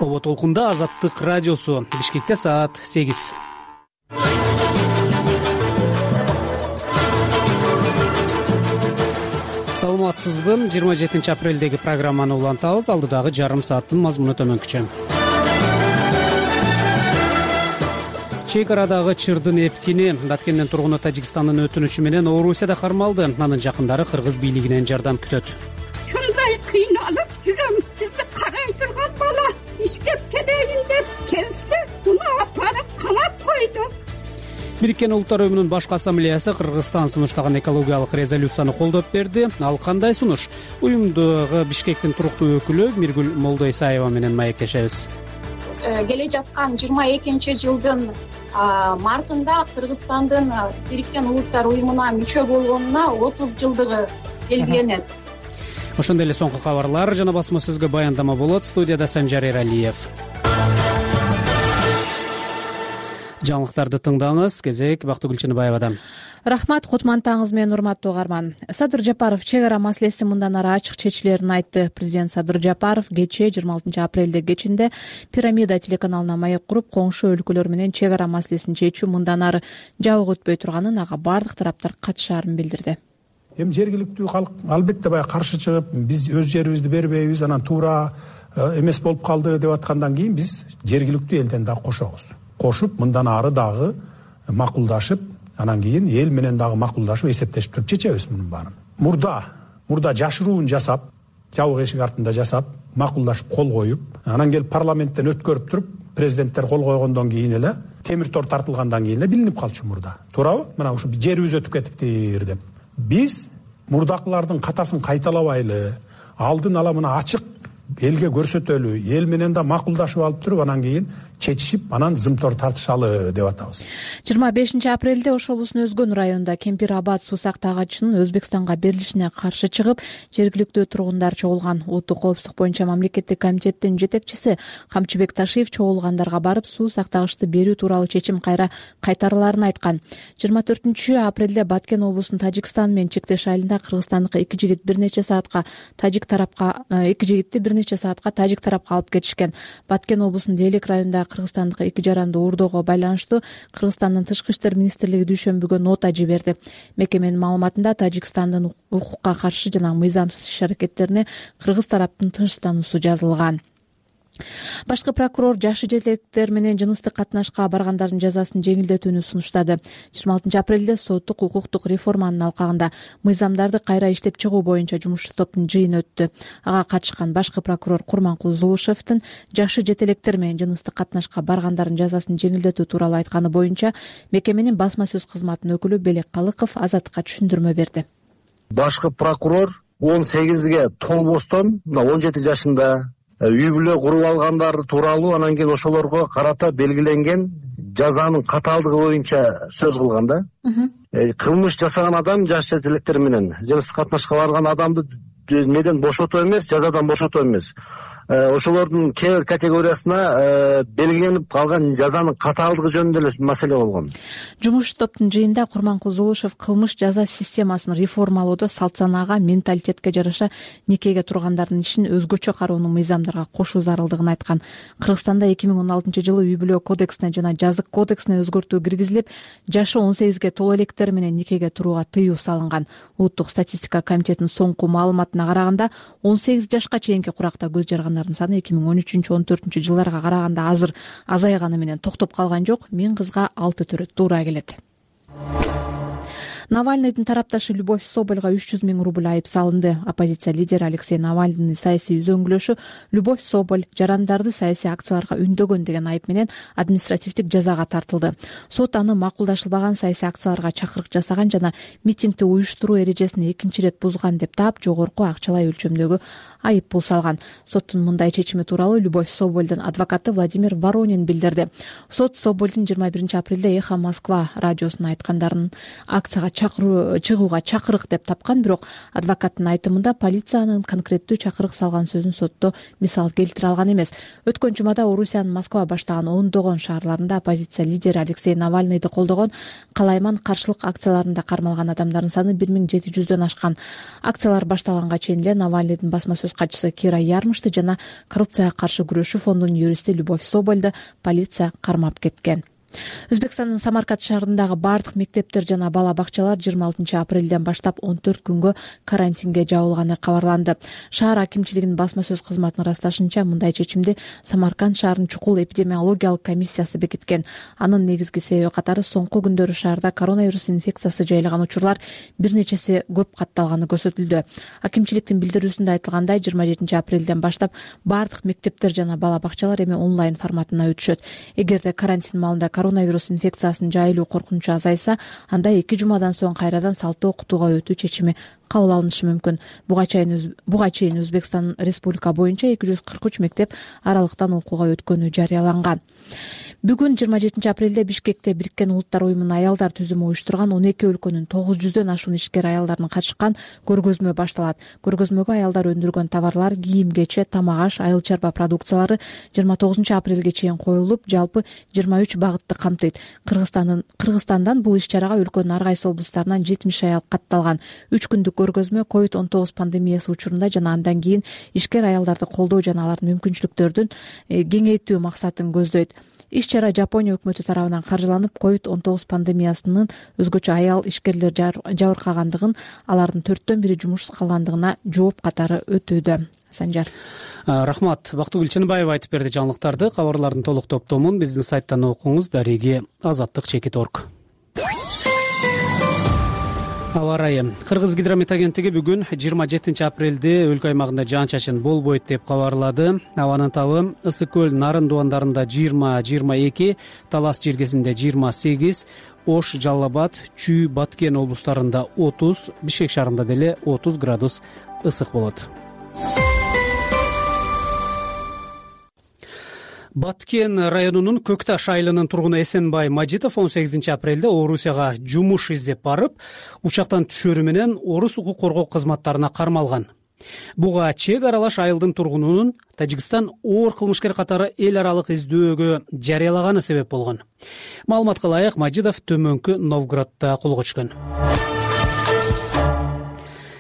Оба толкунда Азаттык радиосу. Бишкекте саат 8. Саламатсызбы? 27 апрелдеги программаны улантабыз. Алдыдагы жарым сааттын мазмуну төмөнкүчө. Чек арадагы чырдын эпкини Баткенден тургуну Тажикстандын өтүнүшү менен Орусияда кармалды. Анын жакындары кыргыз бийлигинен жардам күтөт. Ушундай кыйналып жүрөм. Бизди карай турган бала иштеп келейин деп келсе, уну апарып камап койду. Бириккен Улуттар Уюмунун башкы ассамблеясы Кыргызстан сунуштаган экологиялык резолюцияны колдоп берди. Ал кандай сунуш? Уюмдагы Бишкектин туруктуу өкүлү Миргүл Молдойсаева менен маектешебиз. Келе жаткан 22-жылдын мартында Кыргызстандын Бириккен Улуттар Уюмуна мүчө болгонуна 30 жылдыгы белгиленет. Ошондой эле соңку кабарлар жана басма сөзгө баяндама болот. Студияда Санжар Эралиев. Жаңылыктарды тыңдаңыз. Кезек Бактыгүл Чыныбаевадан. Рахмат, кутмандтаңыз менен урматтуу угарман. Садыр Жапаров чек ара маселеси мындан ары ачык чечилерин айтты. Президент Садыр Жапаров кечээ 26 апрелде кечинде Пирамида телеканалына маек куруп, коңшу өлкөлөр менен чек ара маселесин чечүү мындан ары жабык өтпөй турганын, ага бардык тараптар катышаарын билдирди. Эми жергиликтүү калк албетте баягы каршы чыгып, биз өз жерибизди бербейбиз, анан туура эмес болуп калды деп аткандан кийин биз жергиликтүү элден дагы кошобуз. Кошуп, мындан ары дагы макулдашып, анан кийин эл менен дагы макулдашып, эсептешип туруп чечебиз мунун баарын. Мурда жашыруун жасап, жабык эшик артында жасап, макулдашып кол коюп, анан келип парламенттен өткөрүп туруп, президенттер кол койгондон кийин эле, темир тор тартылгандан кийин эле билинип калчу мурда. Туурабы? Мына ушу жерибиз өтүп кетиптир деп. Биз мурдакылардын катасын кайталабайлы, алдын ала мына ачык элге көрсөтөлү, эл менен да макулдашып алып туруп, анан кийин чечишип, анан зымтор тартышалы деп атабыз. 25 апрелде Ош облусунун Өзгөн районунда Кемпир Абад суу сактагычынын Өзбекстанга берилишине каршы чыгып, жергиликтүү тургундар чогулган. Улуттук коопсуздук боюнча мамлекеттик комитеттин жетекчиси Камчыбек Ташиев чогулгандарга барып, суу сактагычты берүү тууралуу чечим кайра кайтарыларын айткан. 24 апрелде Баткен облусунун Тажикстан менен чектеш айылында кыргызстандык 2 жигит бир нече саатка тажик тарапка алып кетишкен. Баткен облусунун Делек районунда кыргызстандык 2 жаранды уурдоого байланыштуу Кыргызстандын Тышкы иштер министрлиги дүйшөмбүгө нота жиберди. Мекеменин маалыматында Тажикстандын укукка каршы жана мыйзамсыз иш-аракеттерине кыргыз тараптын тынчтануусу жазылган. Башкы прокурор жашы жетектер менен жыныстык катнашка баргандардын жазасын жеңилдетүүнү сунуштады. 26 апрелде соттук укуктук реформанын алкагында мыйзамдарды кайра иштеп чыгуу боюнча жумушчу топтун жыйыны өттү. Ага катышкан башкы прокурор Курманкул Зулушевдин жашы жетелектер менен жыныстык катнашка баргандардын жазасын жеңилдетүү тууралуу айтканы боюнча мекеменин басма сөз кызматынын өкүлү Белек Калыков Азаттыкка түшүндүрмө берди. Башкы прокурор 18ге толбостон 17 жашында үй бүлө куруп алгандар тууралуу, анан кийин ошолорго карата белгиленген жазанын катаалдыгы боюнча сөз кылган да. Кылмыш жасаган адам жаш жетелектер менен жыныстык катнашка барган адамды неден бошотуу эмес, жазадан бошотуу эмес. Ошолордун кээ бир категориясына белгиленип калган жазанын катаалдыгы жөнүндө эле маселе болгон. Жумушчу топтун жыйында Курманкул Зулушев кылмыш жаза системасын реформалоодо салт санаага, менталитетке жараша никеге тургандардын ишин өзгөчө кароонун мыйзамдарга кошуу зарылдыгын айткан. Кыргызстанда 2016-жылы үй бүлө кодексине жана жазык кодексине өзгөртүү киргизилип, жашы 18ге толо электер менен никеге турууга тыюу салынган. Улуттук статистика комитетинин соңку маалыматына караганда 18 жашка чейинки куракта көз жарган саны 2013-14 жылдарга караганда азыр азайганы менен токтоп калган жок. 1000 кызга 6 төрөт туура келет. Навальныйдын тарапташы Любовь Собольга 300 000 рубль айып салынды. Оппозиция лидери Алексей Навальныйдын саясий үзөңгүлөшү Любовь Соболь жарандарды саясий акцияларга үндөгөн деген айып менен административдик жазага тартылды. Сот аны макулдашылбаган саясий акцияларга чакырык жасаган жана митингди уюштуруу эрежесин 2 ирет бузган деп таап, жогорку акчалай өлчөмдөгү айып пул салган. Соттун мындай чечими тууралуу Любовь Собольдун адвокаты Владимир Воронин билдирди. Сот Собольдун 21 апрелде Эхо Москва радиосуна айткандарын акцияга чыгууга чакырык деп тапкан. Бирок адвокаттын айтымында полициянын конкреттүү чакырык салган сөзүн сотто мисал келтире алган эмес. Өткөн жумада Орусиянын Москва баштаган ондогон шаарларында оппозиция лидери Алексей Навальныйды колдогон калайман каршылык акцияларында кармалган адамдардын саны 1700дөн ашкан. Акциялар башталганга чейин эле Навальныйдын басма сөз катчысы Кира Ярмышты жана коррупцияга каршы күрөшүү фондунун юристи Любовь Собольду полиция кармап кеткен. Өзбекстандын Самарканд шаарындагы бардык мектептер жана бала бакчалар 26 апрелден баштап 14 күнгө карантинге жабылганы кабарланды. Шаар акимчилигинин басма сөз кызматынын ырасташынча, мындай чечимди Самарканд шаарынын чукул эпидемиологиялык комиссиясы бекиткен. Анын негизги себеби катары соңку күндөрү шаарда коронавирус инфекциясы жайлаган учурлар бир нечеси көп катталганы көрсөтүлдү. Акимчиликтин билдирүүсүндө айтылгандай, 27 апрелден баштап бардык мектептер жана бала бакчалар эми онлайн форматына өтүшөт. Эгерде карантин маалында коронавирус инфекциясынын жайылуу коркунучу азайса, анда 2 жумадан соң кайрадан салттуу окутууга өтүү чечими кабыл алынышы мүмкүн. Буга чейин Өзбекстан республика боюнча 243 мектеп аралыктан окууга өткөнү жарыяланган. Бүгүн 27 апрелде Бишкекте Бириккен Улуттар уюмунун аялдар түзүмү уюштурган 12 өлкөнүн 900дөн ашуун ишкер аялдардын катышкан көргөзмө башталат. Көргөзмөгө аялдар өндүргөн товарлар, кийим-кече, тамак-аш, айыл чарба продукциялары 29 апрелге чейин коюлуп, жалпы 23 багытты камтыйт. Кыргызстандан бул иш-чарага өлкөнүн ар кайсы облустарынан 70 аял катталган. 3 күндүк көргөзмө COVID-19 пандемиясы учурунда жана андан кийин ишкер аялдарды колдоо жана алардын мүмкүнчүлүктөрүн кеңейтүү максатын көздөйт. Иш-чара Жапония өкмөтү тарабынан каржыланып, COVID-19 пандемиясынын өзгөчө аял ишкерлер жабыркагандыгын, алардын 4/1 жумушсуз калгандыгына жооп катары өтүүдө. Санжар. Рахмат. Бактыгүл Чыныбаева айтып берди жаңылыктарды. Кабарлардын толук топтомун биздин сайттан окуңуз. Дареги Азаттык-Чекит.орг. Аба ырайы. Кыргыз гидромет агенттиги бүгүн 27 апрелде өлкө аймагында жаан-чачын болбойт деп кабарлады. Абанын табы Ысык көл Нарын дубандарында 20-22, Талас жергесинде 28, Ош, Жалал Абад, Чүй, Баткен облустарында 30, Бишкек шаарында деле 30 градус ысык болот. Баткен районунун Көкташ айылынын тургуну Эсенбай Мажитов 18 апрелде Орусияга жумуш издеп барып, учактан түшөрү менен орус укук коргоо кызматтарына кармалган. Буга чек аралаш айылдын тургунунун Тажикстан оор кылмышкер катары эл аралык издөөгө жарыялаганы себеп болгон. Маалыматка ылайык, Мажитов Төмөнкү Новгороддо колго түшкөн.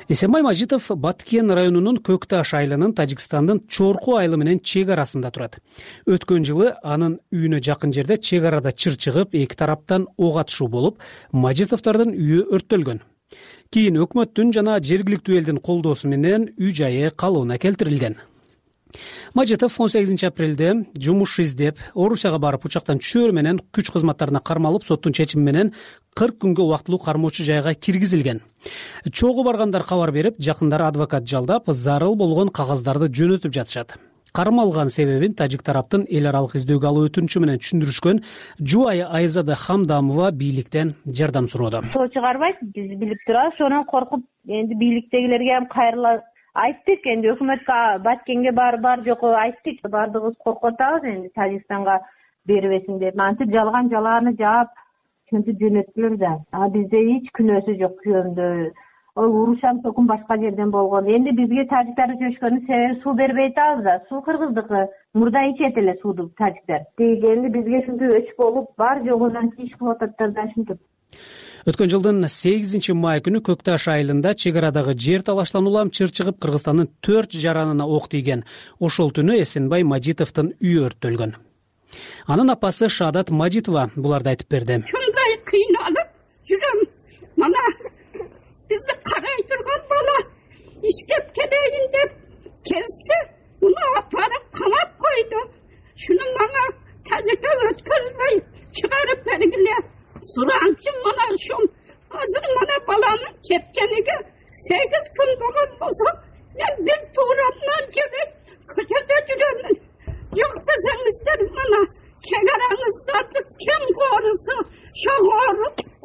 Эсенбай Мажитов Баткен районунун Көкташ айылынын Тажикстандын Чорку айылы менен чек арасында турат. Өткөн жылы анын үйүнө жакын жерде чек арада чыр чыгып, эки тараптан ок атышуу болуп, Мажитовдордун үйү өрттөлгөн. Кийин өкмөттүн жана жергиликтүү элдин колдоосу менен үй жайы калыбына келтирилген. Мажитов 18 апрелде жумуш издеп Орусияга барып, учактан түшөрү менен күч кызматтарына кармалып, соттун чечими менен 40 күнгө убактылуу кармоочу жайга киргизилген. Чогуу баргандар кабар берип, жакындары адвокат жалдап, зарыл болгон кагаздарды жөнөтүп жатышат. Кармалган себебин тажик тараптын эл аралык издөөгө алуу өтүнүчү менен түшүндүрүшкөн Жубайы Айзада Хамдамова бийликтен жардам суроодо. Соо чыгарбайт, биз билип турабыз, ошондон коркуп, энди бийликтегилерге ham кайрыла айттык, энди өкмөткө Баткенге бар жокко айттык, баардыгыбыз коркуп атабыз, энди Тажикстанга бербесин деп. Антип жалааны жаап, ошентип жөнөттүлөр да. Бизде эч күнөөсү жок күйөөмдө. Урушам токун башка жерден болгон. Энди бизге тажиктар чөчкөнүн себеби суу бербей атабыз да. Суу кыргыздыкы, мурда ичет эле сууду тажиктар. Энди бизге ушинтип өч болуп, бар жогунан иш кылып ататтар да ушинтип. Өткөн жылдын 8 май күнү Көкташ айылында чек арадагы жер талаштан улам чыр чыгып, Кыргызстандын 4 жаранына ок тийген. Ошол түнү Эсенбай Мажитовдун үйү өрттөлгөн. Анын апасы Шаадат Мажитова буларды айтып берди. Шундай кыйналып жүрөм. Мана бизди карай турган бала иштеп келейин деп келсе, уну апарып камап койду. Шуну мага тажикка өткөзбөй чыгарып бергиле. Суранчы мана ушул азыр мана баланын кеткениге 8 күн болгон болсо, мен бир туурамдан жебей көчөдө жүрөмүн. Жок десеңиздер, мана чегараңыздарды ким корусун,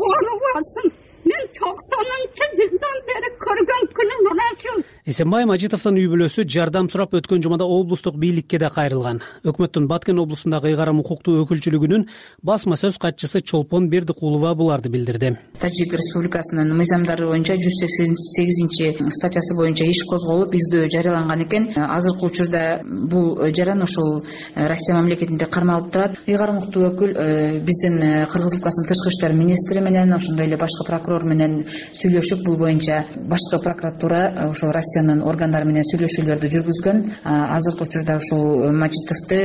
корубасын. Мен 90-жылдан бери көргөн күнүм мына ушул. Эсенбай Мажитовдун үй бүлөсү жардам сурап өткөн жумада облустук бийликке да кайрылган. Өкмөттүн Баткен облусундагы ыйгарым укуктуу өкүлчүлүгүнүн басма сөз катчысы Чолпон Бердикулова буларды билдирди. Тажик Республикасынын мыйзамдары боюнча 188 статьясы боюнча иш козголуп, издөө жарыяланган экен. Азыркы учурда бул жаран ошол Россия мамлекетинде кармалып турат. Ыйгарым укуктуу өкүл биздин Кыргыз Республикасынын тышкы иштер министри менен, ошондой эле башкы прокурор менен сүйлөшүп, бул боюнча башкы прокуратура ошо Россиянын органдары менен сүйлөшүүлөрдү жүргүзгөн. Азыркы учурда ушул Мажитовду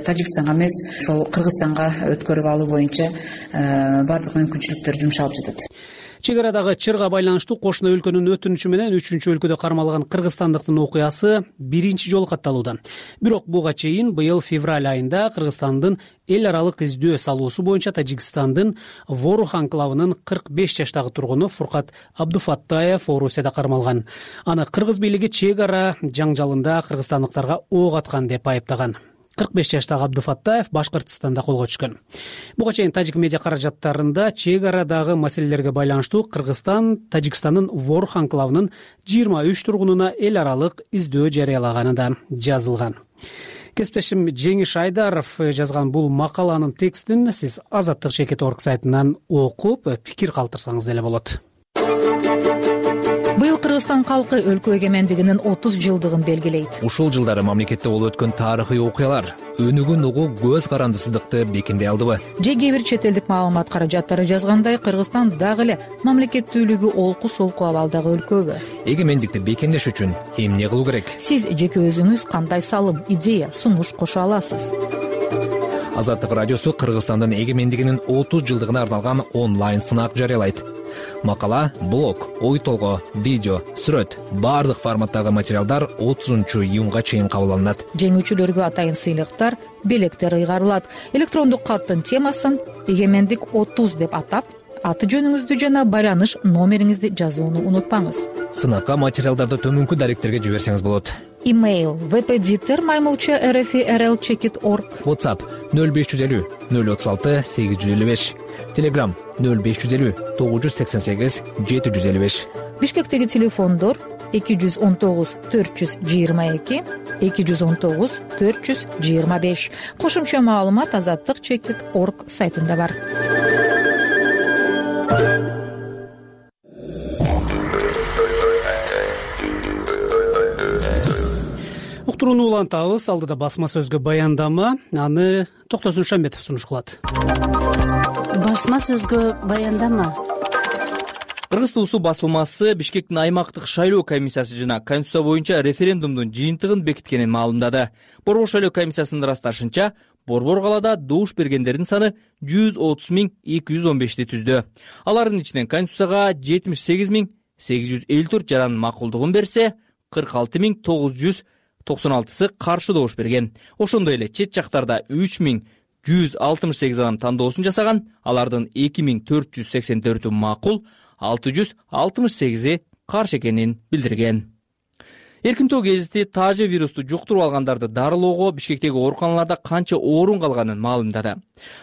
Тажикстанга эмес, ошол Кыргызстанга өткөрүп алуу боюнча баардык мүмкүнчүлүктөр жумшалып жатат. Чек арадагы чырга байланыштуу кошуна өлкөнүн өтүнүчү менен 3-өлкөдө кармалган кыргызстандыктын окуясы биринчи жолу катталууда. Бирок буга чейин быйыл февраль айында Кыргызстандын эл аралык издөө салуусу боюнча Тажикстандын Ворух анклавынын 45 жаштагы тургуну Фуркат Абдуфаттаев Орусияда кармалган. Аны кыргыз бийлиги чек ара жаңжалында кыргызстандыктарга ок аткан деп айыптаган. 45 жаштагы Абдуфаттаев Башкыртстанда колго түшкөн. Буга чейин тажик медиа каражаттарында чек арадагы маселелерге байланыштуу Кыргызстан Тажикстандын Ворух анклавынын 23 тургунуна эл аралык издөө жарыялаганы да жазылган. Кесиптешим Жеңиш Айдаров жазган бул макаланын текстин сиз Азаттык Шекет.орг сайтынан окуп, пикир калтырсаңыз деле болот. Быйыл Кыргызстан калкы өлкө эгемендигинин 30 жылдыгын белгилейт. Ушул жылдары мамлекетте болуп өткөн тарыхый окуялар өнүгүн угуу көз карандысыздыкты бекемдей алдыбы? Же кээ бир чет элдик маалымат каражаттары жазгандай, Кыргызстан дагы эле мамлекеттүүлүгү олку-солку абалдагы өлкөбү? Эгемендикти бекемдеш үчүн эмне кылуу керек? Сиз жеке өзүңүз кандай салым, идея, сунуш кошо аласыз? Азаттык радиосу Кыргызстандын эгемендигинин 30 жылдыгына арналган онлайн сынак жарыялайт. Макала, блог, ой толгоо, видео, сүрөт, баардык форматтагы материалдар 30-июнга чейин кабыл алынат. Жеңүүчүлөргө атайын сыйлыктар, белектер ыйгарылат. Электрондук каттын темасын «Эгемендик 30» деп атап, аты жөнүңүздү жана байланыш номериңизди жазууну унутпаңыз. Сынакка материалдарды төмөнкү даректерге жиберсеңиз болот. Имейл vpditer@rfi.rl.chekit.org. WhatsApp 0550 036 855. Telegram 0550 988 755. Бишкектеги телефондор 219 422 219 425. Кошумча маалымат Азаттык.org сайтында бар. Уктурууну улантабыз. Алдыда басма сөзгө баяндама, аны Токтосун Шамбетов сунуш кылат. Басма сөзгө баяндама. Кыргыз туусу басылмасы Бишкектин аймактык шайлоо комиссиясы жана Конституция боюнча референдумдун жыйынтыгын бекиткенин маалымдады. Борбор шайлоо комиссиясынын ырасташынча, Борбор калаада добуш бергендердин саны 130.215 түздү. Алардын ичинен Конституцияга 78.854 жаран макулдугун берсе, 46.996 каршы добуш берген. Ошондой эле чет жактарда 3.168 адам тандоосун жасаган, алардын 2.484 макул, 668 каршы экенин билдирген. Эркинтөө гезити тажы вирусту жуктуруп алгандарды дарылоого Бишкектеги ооруканаларда канча орун калганын маалымдады.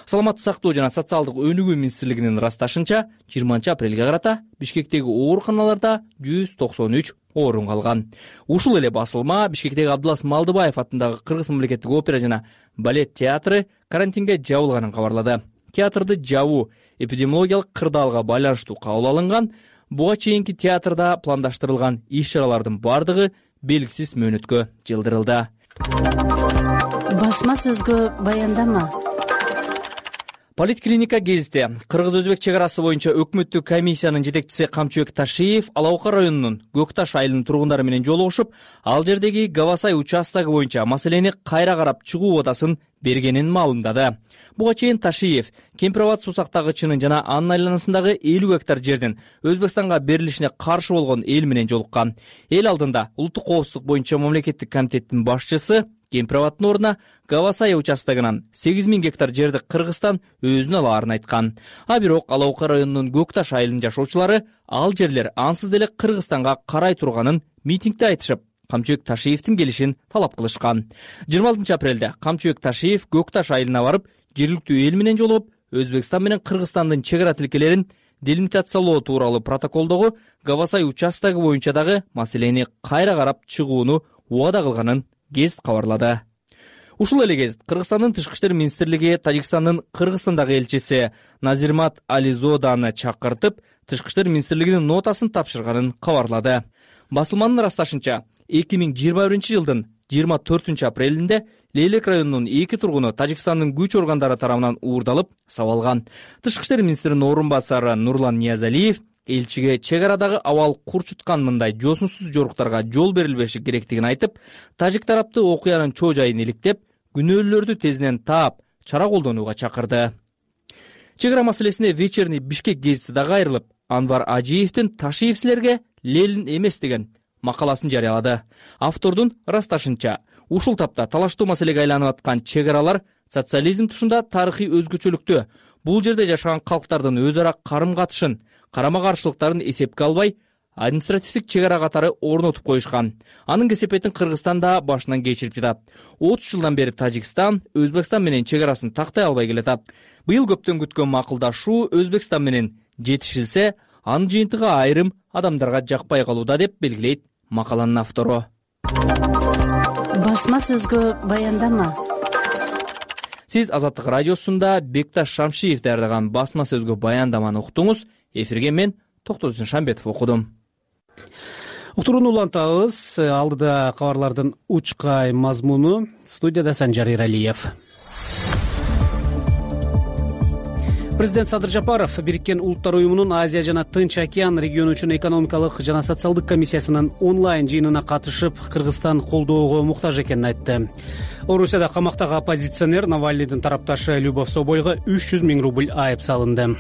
Саламаттык сактоо жана социалдык өнүгүү министрлигинин ырасташынча, 20 апрелге карата Бишкектеги ооруканаларда 193 орун калган. Ушул эле басылма Бишкектеги Абдылас Малдыбаев атындагы Кыргыз мамлекеттик опера жана балет театры карантинге жабылганын кабарлады. Театрды жабуу эпидемиологиялык кырдаалга байланыштуу кабыл алынган. Буга чейинки театрда пландаштырылган иш-чаралардын бардыгы белгисиз мөөнөткө жылдырылды. Басма сөзгө баяндама. Политклиника гезити Кыргыз-Өзбек чек арасы боюнча өкмөттүк комиссиянын жетекчиси Камчыбек Ташиев Алаока районунун Көкташ айылынын тургундары менен жолугушуп, ал жердеги Гавасай участогу боюнча маселени кайра карап чыгуу убадасын бергенин маалымдады. Буга чейин Ташиев Кемпирабад суусактагычынын жана анын айланасындагы 50 гектар жердин Өзбекстанга берилишине каршы болгон эл менен жолуккан. Эл алдында улуттук коопсуздук боюнча мамлекеттик комитеттин башчысы Кемпирабаддын ордуна Гавасай участогунан 8000 гектар жерди Кыргызстан өзүнө алаарын айткан. А бирок Алаока районунун Көкташ айылынын жашоочулары ал жерлер ансыз деле Кыргызстанга карай турганын митингде айтышып, Камчыбек Ташиевдин келишин талап кылышкан. 26 апрелде Камчыбек Ташиев Көкташ айылына барып, жергиликтүү эл менен жолугуп, Өзбекстан менен Кыргызстандын чек ара тилкелерин делимитациялоо тууралуу протоколдогу Гавасай участогу боюнча дагы маселени кайра карап чыгууну убада кылганын гезит кабарлады. Ушул эле гезит Кыргызстандын Тышкы иштер министрлиги Тажикстандын Кыргызстандагы элчиси Назирмат Ализоданы чакыртып, Тышкы иштер министрлигинин нотасын тапшырганын кабарлады. Басылманын ырасташынча, 2021 жылдын 24 апрелинде Лейлек районунун 2 тургуну Тажикстандын күч органдары тарабынан уурдалып, сабалган. Тышкы иштер министринин орун басары Нурлан Ниязалиев элчиге чек арадагы абал курчуткан мындай жосунсуз жоруктарга жол берилбеши керектигин айтып, тажик тарапты окуянын чоо жайын иликтеп, күнөөлүүлөрдү тезинен таап, чара колдонууга чакырды. Чек ара маселесине Вечерний Бишкек гезити дагы айрылып, Анвар Ажиевдин Ташиев силерге лелин эмес деген макаласын жарыялады. Автордун ырасташынча, ушул тапта талаштуу маселеге айланып аткан чек аралар социализм тушунда тарыхый өзгөчөлүктү, бул жерде жашаган калктардын өз ара карым-катышын, карама-каршылыктарын эсепке албай, административдик чек ара катары орнотуп коюшкан. Анын кесепетин Кыргызстан да башынан кечирип жатат. 30 жылдан бери Тажикстан Өзбекстан менен чек арасын тактай албай келатат. Быйыл көптөн күткөн макулдашуу Өзбекстан менен жетишилсе, анын жыйынтыгы айрым адамдарга жакпай калууда деп белгилейт макаланын автору. Басма сөзгө баяндама. Сиз Азаттык радиосунда Бекташ Шамшиев даярдаган басма сөзгө баяндаманы уктуңуз. Эфирге мен Токтосун Шамбетов окудум. Уктурууну улантабыз. Алдыда кабарлардын учкай мазмуну. Студияда Санжар Иралиев. Президент Садыр Жапаров Бириккен Улуттар уюмунун Азия жана Тынч океан региону үчүн экономикалык жана социалдык комиссиясынын онлайн жыйынына катышып, Кыргызстан колдоого муктаж экенин айтты. Орусияда камактагы оппозиционер Навальныйдын тарапташы Любовь Собольго 300 000 рубль айып салынды.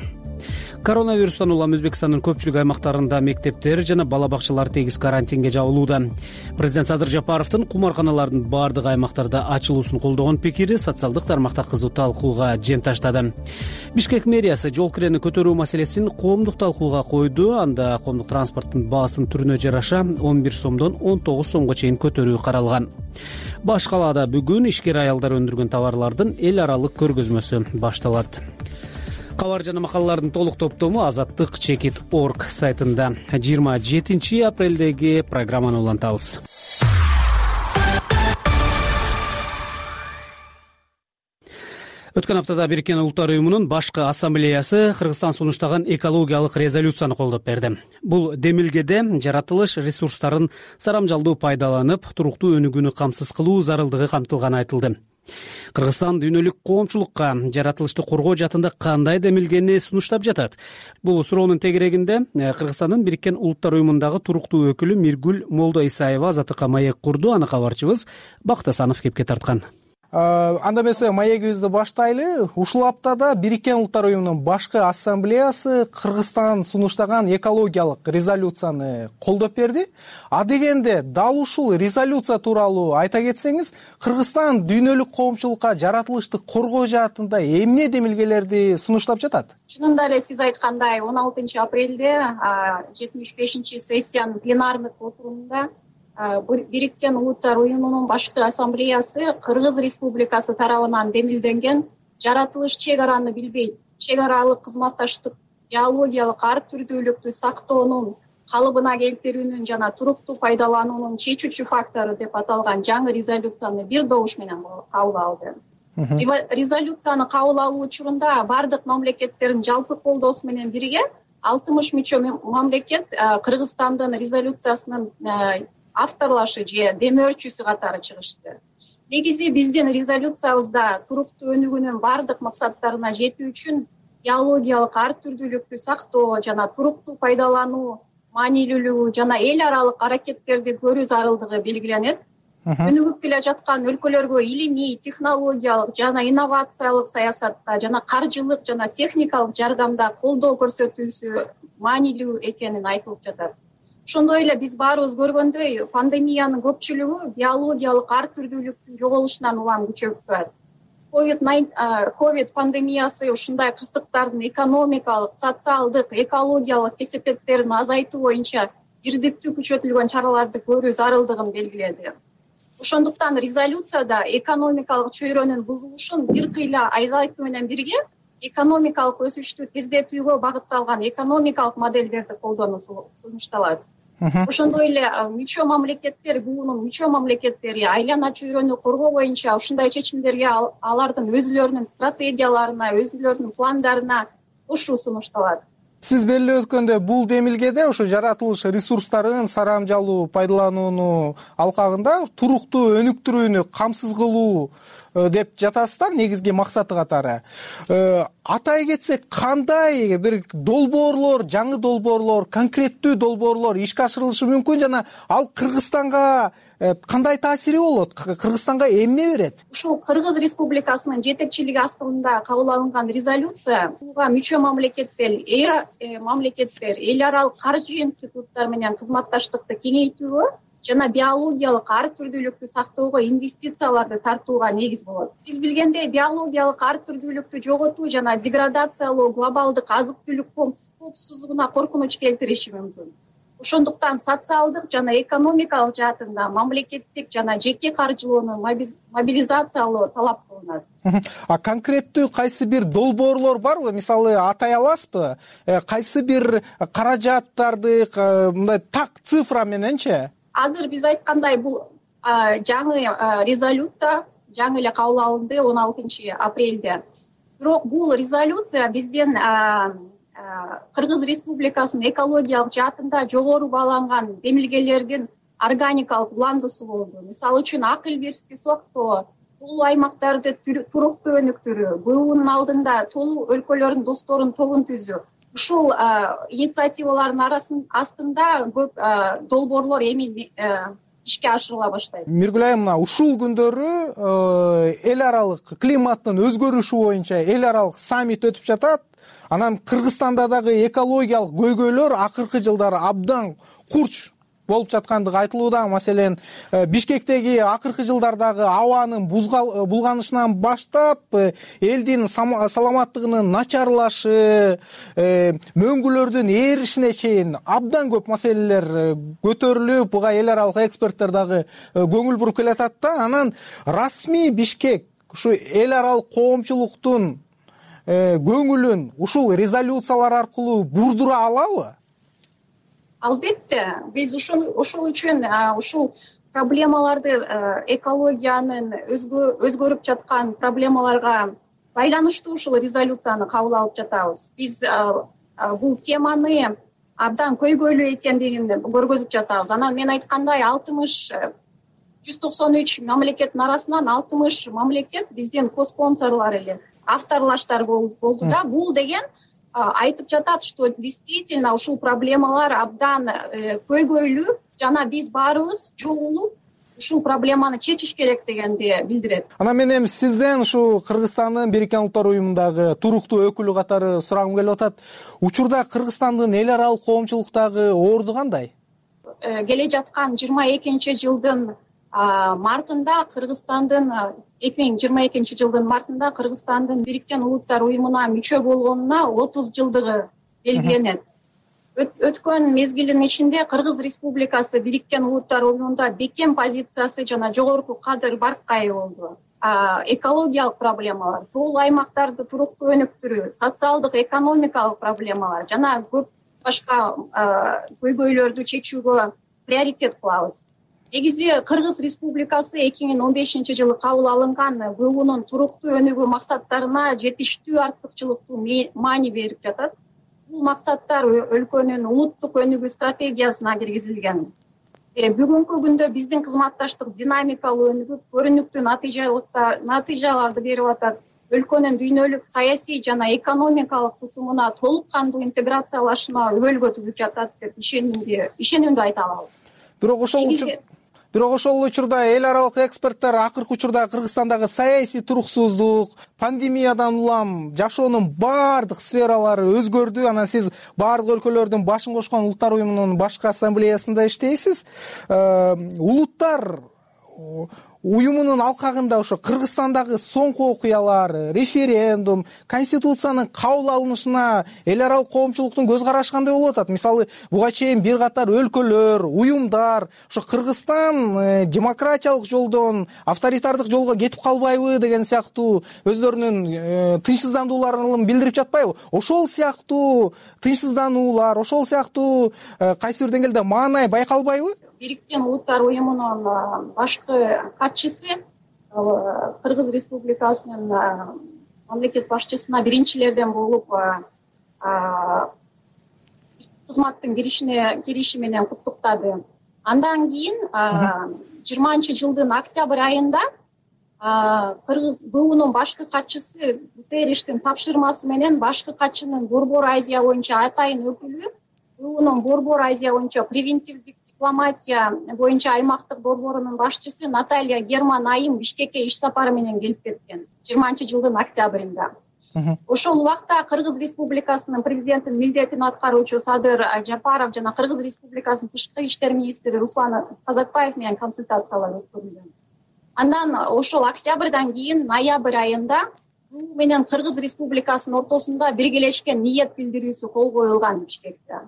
Коронавирустан улам Өзбекстандын көпчүлүк аймактарында мектептер жана бала бакчалар тегиз карантинге жабылууда. Президент Садыр Жапаровдун кумарканалардын бардык аймактарда ачылуусун колдогон пикири социалдык тармакта кызуу талкууга жем таштады. Бишкек мэриясы жол кирени көтөрүү маселесин коомдук талкууга койду. Анда коомдук транспорттун баасынын түрүнө жараша 11 сомдон 19 сомго чейин көтөрүү каралган. Баш калаада бүгүн ишкер аялдар өндүргөн товарлардын эл аралык көргөзмөсү башталат. Кабар жана макалалардын толук топтому Азаттык Чекит.org сайтында 27 апрелдеги программаны улантабыз. Өткөн аптада Бириккен Улуттар уюмунун башкы ассамблеясы Кыргызстан сунуштаган экологиялык резолюцияны колдоп берди. Бул демилгеде жаратылыш ресурстарын сарамжалдуу пайдаланып, туруктуу өнүгүүнү камсыз кылуу зарылдыгы камтылганы айтылды. Кыргызстан дүйнөлүк коомчулукка жаратылышты коргоо жаатында кандай демилгени сунуштап жатат? Бул суроонун тегерегинде Кыргызстандын Бириккен Улуттар уюмундагы туруктуу өкүлү Миргүл Молдоисаева Азаттыкка маек курду. Аны кабарчыбыз Бакыт Асанов кепке тарткан. Анда эмесе маегибизди баштайлы. Ушул аптада Бириккен Улуттар уюмунун башкы ассамблеясы Кыргызстан сунуштаган экологиялык резолюцияны колдоп берди. А дегенде дал ушул резолюция тууралуу айта кетсеңиз, Кыргызстан дүйнөлүк коомчулукка жаратылышты коргоо жаатында эмне демилгелерди сунуштап жатат? Чынында эле сиз айткандай 16 апрелде 75 сессиянын пленардык отурумунда Бириккен Улуттар уюмунун башкы ассамблеясы Кыргыз Республикасы тарабынан демилденген жаратылыш чек араны билбейт, чек аралык кызматташтык, биологиялык ар түрдүүлүктү сактоонун калыбына келтирүүнүн жана туруктуу пайдалануунун чечүүчү фактору деп аталган жаңы резолюцияны бир добуш менен кабыл алды. Резолюцияны кабыл алуу учурунда бардык мамлекеттердин жалпы колдоосу менен бирге 60 мүчө мамлекет Кыргызстандын резолюциясынын авторлашы же демөөрчүсү катары чыгышты. Негизи биздин резолюциябызда туруктуу өнүгүүнүн бардык максаттарына жетүү үчүн биологиялык ар түрдүүлүктү сактоо жана туруктуу пайдалануу маанилүүлүгү жана эл аралык аракеттерди көрүү зарылдыгы белгиленет. Өнүгүп келе жаткан өлкөлөргө илимий, технологиялык жана инновациялык саясатта жана каржылык жана техникалык жардамда колдоо көрсөтүүсү маанилүү экенин айтылып жатат. Ошондой эле биз баарыбыз көргөндөй, пандемиянын көпчүлүгү биологиялык ар түрдүүлүктүн жоголушунан улам күчөп турат. Ковид пандемиясы ушундай кырсыктардын экономикалык, социалдык, экологиялык кесепеттерин азайтуу боюнча бирдиктүү күчөтүлгөн чараларды көрүү зарылдыгын белгиледи. Ошондуктан резолюцияда экономикалык чөйрөнүн бузулушун бир кыйла азайтуу менен бирге экономикалык өсүштү тездетүүгө багытталган экономикалык модельдерди колдонуу сунушталат. Ошондой эле мүчө мамлекеттер, БУнун мүчө мамлекеттери айлана чөйрөнү коргоо боюнча ушундай чечимдерге алардын өзүлөрүнүн стратегияларына, өзүлөрүнүн пландарына кошуу сунушталат. Сиз белгилеп өткөндөй, бул демилгеде ошо жаратылыш ресурстарын сарамжалуу пайдаланууну алкагында туруктуу өнүктүрүүнү камсыз кылуу деп жатасыздар негизги максаты катары. Атай кетсек, кандай бир долбоорлор, жаңы долбоорлор, конкреттүү долбоорлор ишке ашырылышы мүмкүн жана ал Кыргызстанга кандай таасири болот? Кыргызстанга эмне берет? Ушул Кыргыз Республикасынын жетекчилиги астында кабыл алынган резолюция буга мүчө мамлекеттер, эл аралык каржы институттары менен кызматташтыкты кеңейтүүгө жана биологиялык ар түрдүүлүктү сактоого инвестицияларды тартууга негиз болот. Сиз билгендей, биологиялык ар түрдүүлүктү жоготуу жана деградациялоо глобалдык азык түлүк коопсуздугуна коркунуч келтириши мүмкүн. Ошондуктан социалдык жана экономикалык жаатында мамлекеттик жана жеке каржылоону мобилизациялоо талап кылынат. Конкреттүү кайсы бир долбоорлор барбы? Мисалы атай аласызбы? Кайсы бир каражаттарды мындай так цифра мененчи? Азыр биз айткандай, бул жаңы резолюция жаңы эле кабыл алынды 16 апрелде. Бирок бул резолюция бизден Кыргыз Республикасынын экологиялык жаатында жогору бааланган демилгелердин органикалык уландуусу болду. Мисалы үчүн акыл бирски сактоо, толуу аймактарды туруктуу өнүктүрүү, БУнун алдында толуу өлкөлөрдүн досторунун тобун түзүү. Ушул инициативалардын астында көп долбоорлор эми ишке ашырыла баштайт. Миргүл айым, мына ушул күндөрү эл аралык климаттын өзгөрүшү боюнча эл аралык саммит өтүп жатат. Анан Кыргызстанда дагы экологиялык көйгөйлөр акыркы жылдары абдан курч болуп жаткандыгы айтылууда. Маселен, Бишкектеги акыркы жылдардагы абанын булганышынан баштап элдин саламаттыгынын начарлашы, мөңгүлөрдүн ээришине чейин абдан көп маселелер көтөрүлүп, буга эл аралык эксперттер дагы көңүл буруп келатат да. Анан расмий Бишкек ушу эл аралык коомчулуктун көңүлүн ушул резолюциялар аркылуу бурдура алабы? Албетте, биз ушул үчүн ушул проблемаларды, экологиянын өзгөрүп жаткан проблемаларга байланыштуу ушул резолюцияны кабыл алып жатабыз. Биз бул теманы абдан көйгөйлүү экендигин көргөзүп жатабыз. Анан мен айткандай 193 мамлекеттин арасынан 60 мамлекет биздин коспонсорлор эле, авторлаштар болду да. Бул деген айтып жатат, что действительно ушул проблемалар абдан көйгөйлүү жана биз баарыбыз чогулуп ушул проблеманы чечиш керек дегенди билдирет. Анан мен эми сизден ушу Кыргызстандын Бириккен Улуттар Уюмундагы туруктуу өкүлү катары сурагым келип атат. Учурда Кыргызстандын эл аралык коомчулуктагы орду кандай? Келе жаткан 22 жылдын мартында Кыргызстандын 2022 жылдын мартында Кыргызстандын Бириккен Улуттар Уюмуна мүчө болгонуна 30 жылдыгы белгиленет. Өткөн мезгилдин ичинде Кыргыз Республикасы Бириккен Улуттар Уюмунда бекем позициясы жана жогорку кадыр баркай болду. Экологиялык проблемалар, толуу аймактарды туруктуу өнүктүрүү, социалдык экономикалык проблемалар жана көп башка көйгөйлөрдү чечүүгө приоритет кылабыз. Негизи Кыргыз Республикасы 2015 жылы кабыл алынган БУнун туруктуу өнүгүү максаттарына жетиштүү артыкчылыктуу маани берип жатат. Бул максаттар өлкөнүн улуттук өнүгүү стратегиясына киргизилген. Бүгүнкү күндө биздин кызматташтык динамикалуу өнүгүп, көрүнүктүү натыйжаларды берип атат. Өлкөнүн дүйнөлүк саясий жана экономикалык тутумуна толук кандуу интеграциялашына өбөлгө түзүп жатат деп ишенимдүү айта алабыз. Бирок ошол учурда эл аралык эксперттер акыркы учурда Кыргызстандагы саясий туруксуздук, пандемиядан улам жашоонун баардык сфералары өзгөрдү. Анан сиз баардык өлкөлөрдүн башын кошкон Улуттар Уюмунун башкы ассамблеясында иштейсиз. Улуттар уюмунун алкагында ошо Кыргызстандагы соңку окуялар, референдум, конституциянын кабыл алынышына эл аралык коомчулуктун көз карашы кандай болуп атат? Мисалы, буга чейин бир катар өлкөлөр, уюмдар ошо Кыргызстан демократиялык жолдон авторитардык жолго кетип калбайбы деген сыяктуу өздөрүнүн тынчсыздандууларын билдирип жатпайбы? Ошол сыяктуу тынчсыздануулар, ошол сыяктуу кайсы бир деңгээлде маанай байкалбайбы? Бириккен Улуттар уюмунун башкы катчысы Кыргыз Республикасынын мамлекет башчысына биринчилерден болуп кызматтын кириши менен куттуктады. Андан кийин 20-жылдын октябрь айында Кыргыз БУнун башкы катчысы Гутерриштин тапшырмасы менен башкы катчынын Борбор Азия боюнча атайын өкүлү БУнун Борбор Азия боюнча превентивдик дипломатия боюнча аймактык борборунун башчысы Наталья Герман Айым Бишкекке иш сапары менен келип кеткен 20-жылдын октябрында. Ошол убакта Кыргыз Республикасынын президентинин милдетин аткаруучу Садыр Жапаров жана Кыргыз Республикасынын тышкы иштер министри Руслан Казакбаев менен консультациялар өткөрүлгөн. Андан ошол октябрдан кийин ноябрь айында БУ менен Кыргыз Республикасынын ортосунда биргелешкен ниет билдирүүсү кол коюлган Бишкекте.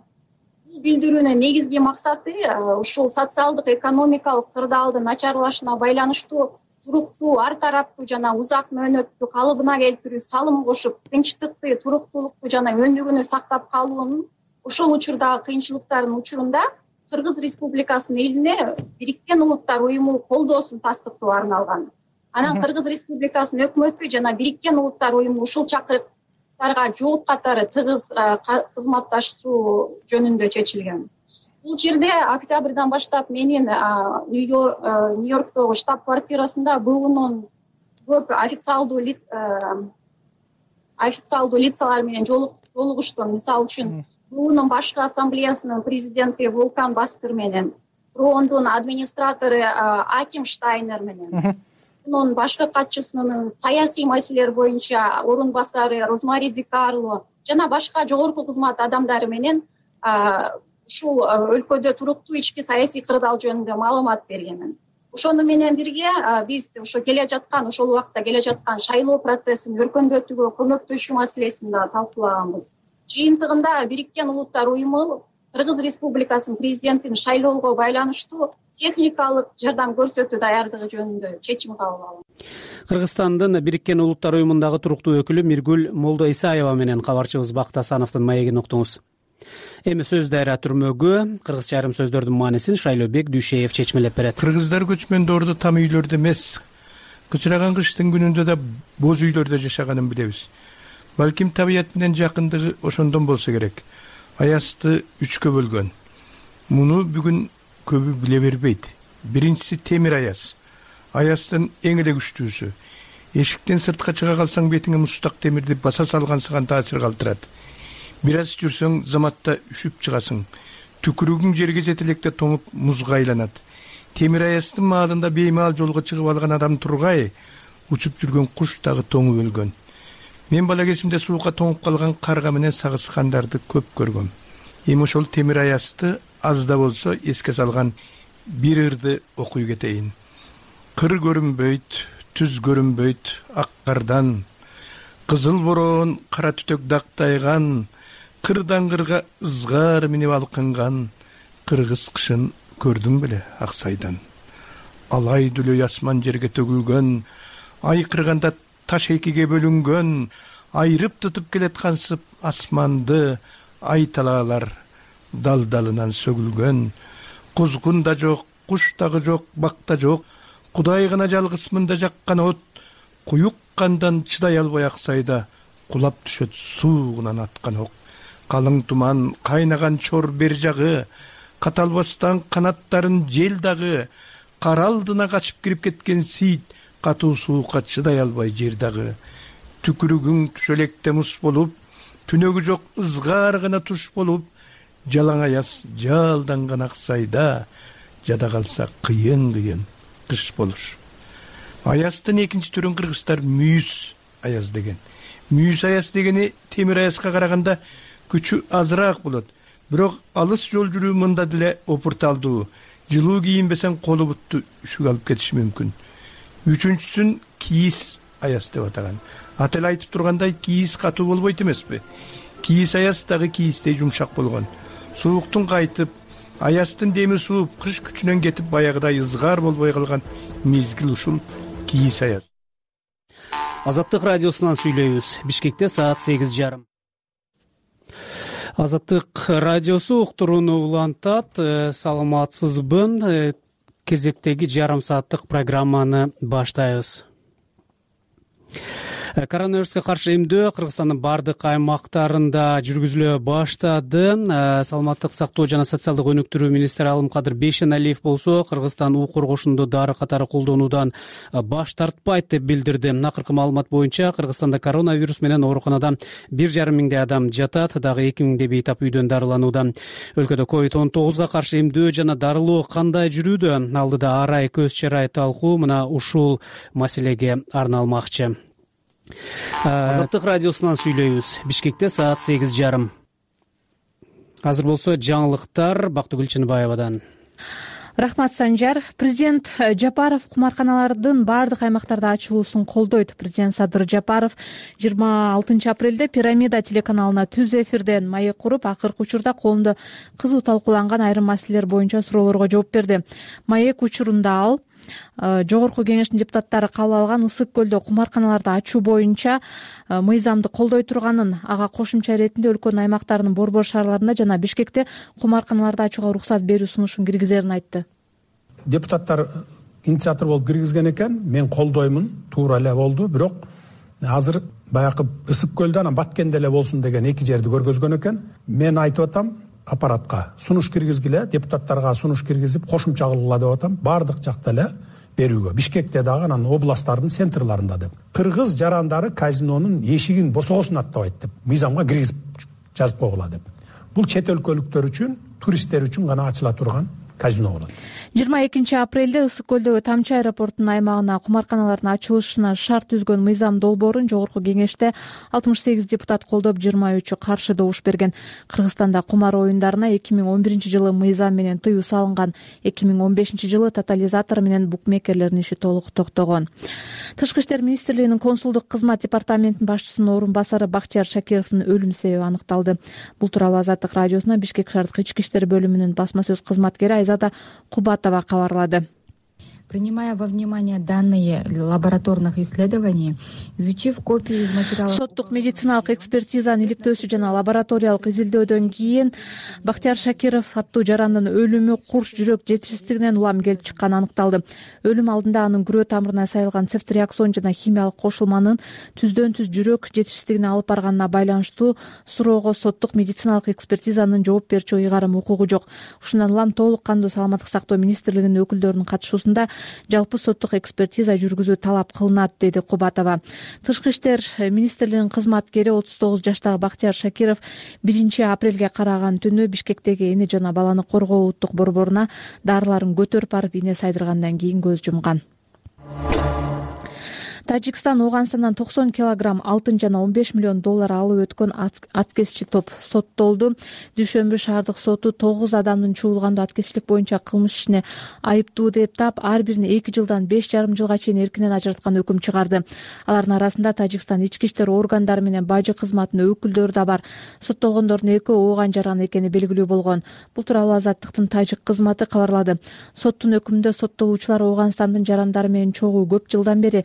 Бул билдирүүнүн негизги максаты ушул социалдык экономикалык кырдаалдын начарлашына байланыштуу туруктуу, ар тараптуу жана узак мөөнөттүү калыбына келтирүү салым кошуп, тынчтыкты, туруктуулукту жана өндүгүнү сактап калуунун ошол учурдагы кыйынчылыктардын учурунда Кыргыз Республикасынын элине Бириккен Улуттар уюму колдоосун тастыктоо арналган. Анан Кыргыз Республикасынын өкмөтү жана Бириккен Улуттар уюму ушул чакырыктарга жооп катары тыгыз кызматташуу жөнүндө чечилген. Бул жерде октябрдан баштап менин Нью-Йорктогу штаб-квартирасында БУнун көп официалдуу лицалар менен жолугуштум. Мисалы үчүн БУнун башкы ассамблеясынын президенти Волкан Баскыр менен, РООндун администратору Аким Штайнер менен, БУнун башкы катчысынын саясий маселелер боюнча орун басары Розмари Ди Карло жана башка жогорку кызмат адамдары менен ушул өлкөдө туруктуу ички саясий кырдаал жөнүндө маалымат бергенмин. Ошону менен бирге биз ошол убакта келе жаткан шайлоо процессин өркөндөтүүгө көмөктөшүү маселесин да талкуулаганбыз. Жыйынтыгында Бириккен Улуттар уюму Кыргыз Республикасынын президентин шайлоого байланыштуу техникалык жардам көрсөтүү даярдыгы жөнүндө чечим кабыл алдым. Кыргызстандын Бириккен Улуттар уюмундагы туруктуу өкүлү Миргүл Молдоисаева менен кабарчыбыз Бакыт Асановдун маегин уктуңуз. Эми сөз дайра түрмөгү кыргызча айрым сөздөрдүн маанисин Шайлообек Дүйшеев чечмелеп берет. Кыргыздар көчмөндөрдө там үйлөрдө эмес, кычыраган кыштын күнүндө да боз үйлөрдө жашаганын билебиз. Балким табият менен жакындыгы ошондон болсо керек. Аязды 3кө бөлгөн. Муну бүгүн көбү биле бербейт. Биринчиси темир аяз. Аяздын эң эле күчтүүсү. Эшиктен сыртка чыга калсаң бетиңе мустак темирди баса салгансыган таасир калтырат. Бир аз жүрсөң заматта үшүп чыгасың. Түкүрүгүң жерге жете электе тоңуп музга айланат. Темир аяздын маалында беймаал жолго чыгып алган адам тургай, учуп жүргөн куш дагы тоңуп өлгөн. Мен бала кезимде суукка тоңуп калган карга менен сагышкандарды көп көргөм. Эми ошол темир аязды аз да болсо эске салган бир ырды окуй кетейин. Кыр көрүнбөйт, түз көрүнбөйт ак кардан, кызыл бороон кара түтөк дактайган, кырдан кырга ызгар минип алкынган, кыргыз кышын көрдүң беле Аксайдан. Алай дүлөй асман жерге төгүлгөн, ай кырганда таш экиге бөлүнгөн, айрып тутуп келаткансып асманды ай талаалар дал-далынан сөгүлгөн. Кузгун да жок, куш дагы жок, бак да жок, Кудай гана жалгыз мында жаккан от, куюк кандан чыдай албай Аксайда кулап түшөт суугунан аткан ок. Калың туман, кайнаган чор бер жагы, каталбастан канаттарын жел дагы, кар алдына качып кирип кеткен сийит, катуу суукка чыдай албай жер дагы. Түкүрүгүң түшөлекте мус болуп, түнөгү жок ызгар гана туш болуп, жалаң аяз жалданган Аксайда, жада калса кыйын кыш болуш. Аяздын экинчи түрүн кыргыздар мүйүз аяз деген. Мүйүз аяз дегени темир аязга караганда күчү азыраак болот. Бирок алыс жол жүрүү мында деле опурталдуу. Жылуу кийинбесең колу бутту үшүк алып кетиши мүмкүн. үчүнчүсүн кийиз аяз деп атаган. Аты эле айтып тургандай, кийиз катуу болбойт эмеспи? Кийиз аяз дагы кийиздей жумшак болгон. Сууктун кайтып, аяздын деми сууп, кыш күчүнөн кетип, баягыдай ызгар болбой калган мезгил ушул кийиз аяз. Азаттык радиосунан сүйлөйбүз. Бишкекте саат 8:30. Азаттык радиосу уктурууну улантат. Саламатсызбы? Кезектеги жарым сааттык программаны баштайбыз. Коронавируска каршы эмдөө Кыргызстандын бардык аймактарында жүргүзүлө баштады. Саламаттык сактоо жана социалдык өнүктүрүү министри Алымкадыр Бейшеналиев болсо, Кыргызстан уу коргошунду дары катары колдонуудан баш тартпайт деп билдирди. Акыркы маалымат боюнча Кыргызстанда коронавирус менен ооруканада 1,5 миңдей адам жатат, дагы 2 миңдей бейтап үйдөн дарыланууда. Өлкөдө COVID-19 каршы эмдөө жана дарылоо кандай жүрүүдө? Алдыда арай көз чарай талкуу мына ушул маселеге арналмакчы. Азаттык радиосунан сүйлөйбүз. Бишкекте саат 8:30. Азыр болсо жаңылыктар Бактыгүл Чыныбаевадан. Рахмат, Санжар. Президент Жапаров кумарканалардын бардык аймактарда ачылуусун колдойт. Президент Садыр Жапаров 26 апрелде Пирамида телеканалына түз эфирден маек куруп, акыркы учурда коомдо кызуу талкууланган айрым маселелер боюнча суроолорго жооп берди. Маек учурунда ал Жогорку кеңештин депутаттары кабыл алган Ысык көлдө кумарканаларды ачуу боюнча мыйзамды колдой турганын, ага кошумча иретинде өлкөнүн аймактарынын борбор шаарларында жана Бишкекте кумарканаларды ачууга уруксат берүү сунушун киргизерин айтты. Депутаттар инициатор болуп киргизген экен, мен колдоймун, туура эле болду, бирок азыр баягы Ысык көлдө анан Баткенде эле болсун деген эки жерди көргөзгөн экен. Мен айтып атам, аппаратка сунуш киргизгиле, депутаттарга сунуш киргизип кошумча кылгыла деп атам, бардык жакта эле берүүгө, Бишкекте дагы, анан областтардын центрларында деп. Кыргыз жарандары казинонун эшигин босогосун аттабайт деп, мыйзамга киргизип жазып койгула деп. Бул чет өлкөлүктөр үчүн, туристтер үчүн гана ачыла турган казино болот. 22 апрелде Ысык көлдөгү Тамчы аэропортунун аймагына кумарканалардын ачылышына шарт түзгөн мыйзам долбоорун Жогорку кеңеште 68 депутат колдоп, 23 каршы добуш берген. Кыргызстанда кумар оюндарына 2011 жылы мыйзам менен тыюу салынган. 2015 жылы тотализатор менен букмекерлердин иши толук токтогон. Тышкы иштер министрлигинин консулдук кызмат департаментинин башчысынын орун басары Бактияр Шакировдун өлүм себеби аныкталды. Бул тууралуу Азаттык радиосуна Бишкек шаардык ички иштер бөлүмүнүн басма сөз кызматкери Айзада Кубатова кабарлады. Принимая во внимание данные лабораторных исследований, изучив копии из материалов... Соттук медициналык экспертизанын иликтөөсү жана лабораториялык изилдөөдөн кийин Бактияр Шакиров аттуу жарандын өлүмү курч жүрөк жетишсиздигинен улам келип чыкканы аныкталды. Өлүм алдында анын күрөө тамырына сайылган цефтриаксон жана химиялык кошулманын түздөн түз жүрөк жетишсиздигине алып барганына байланыштуу суроого соттук медициналык экспертизанын жооп берүүчү ыйгарым укугу жок. Ушундан улам толук кандуу саламаттык сактоо министрлигинин өкүлдөрүнүн катышуусунда жалпы соттук экспертиза жүргүзүү талап кылынат, деди Кубатова. Тышкы иштер министрлигинин кызматкери 39 жаштагы Бактияр Шакиров 1 апрелге караган түнү Бишкектеги эне жана баланы коргоо улуттук борборуна дарыларын көтөрүп барып ийне сайдыргандан кийин көз жумган. Тажикстан Ооганстандан 90 килограмм алтын жана 15 миллион доллар алып өткөн аткезчи топ соттолду. Дүйшөмбү шаардык соту 9 адамдын чуулгандуу аткезчилик боюнча кылмыш ишине айыптуу деп тап, ар бирин 2 жылдан 5,5 жылга чейин эркинен ажыраткан өкүм чыгарды. Алардын арасында Тажикстан ички иштер органдары менен бажы кызматынын өкүлдөрү да бар. Соттолгондордун экөө ооган жаран экени белгилүү болгон. Бул тууралуу Азаттыктын тажик кызматы кабарлады. Соттун өкүмүндө соттолуучулар Ооганстандын жарандары менен чогуу көп жылдан бери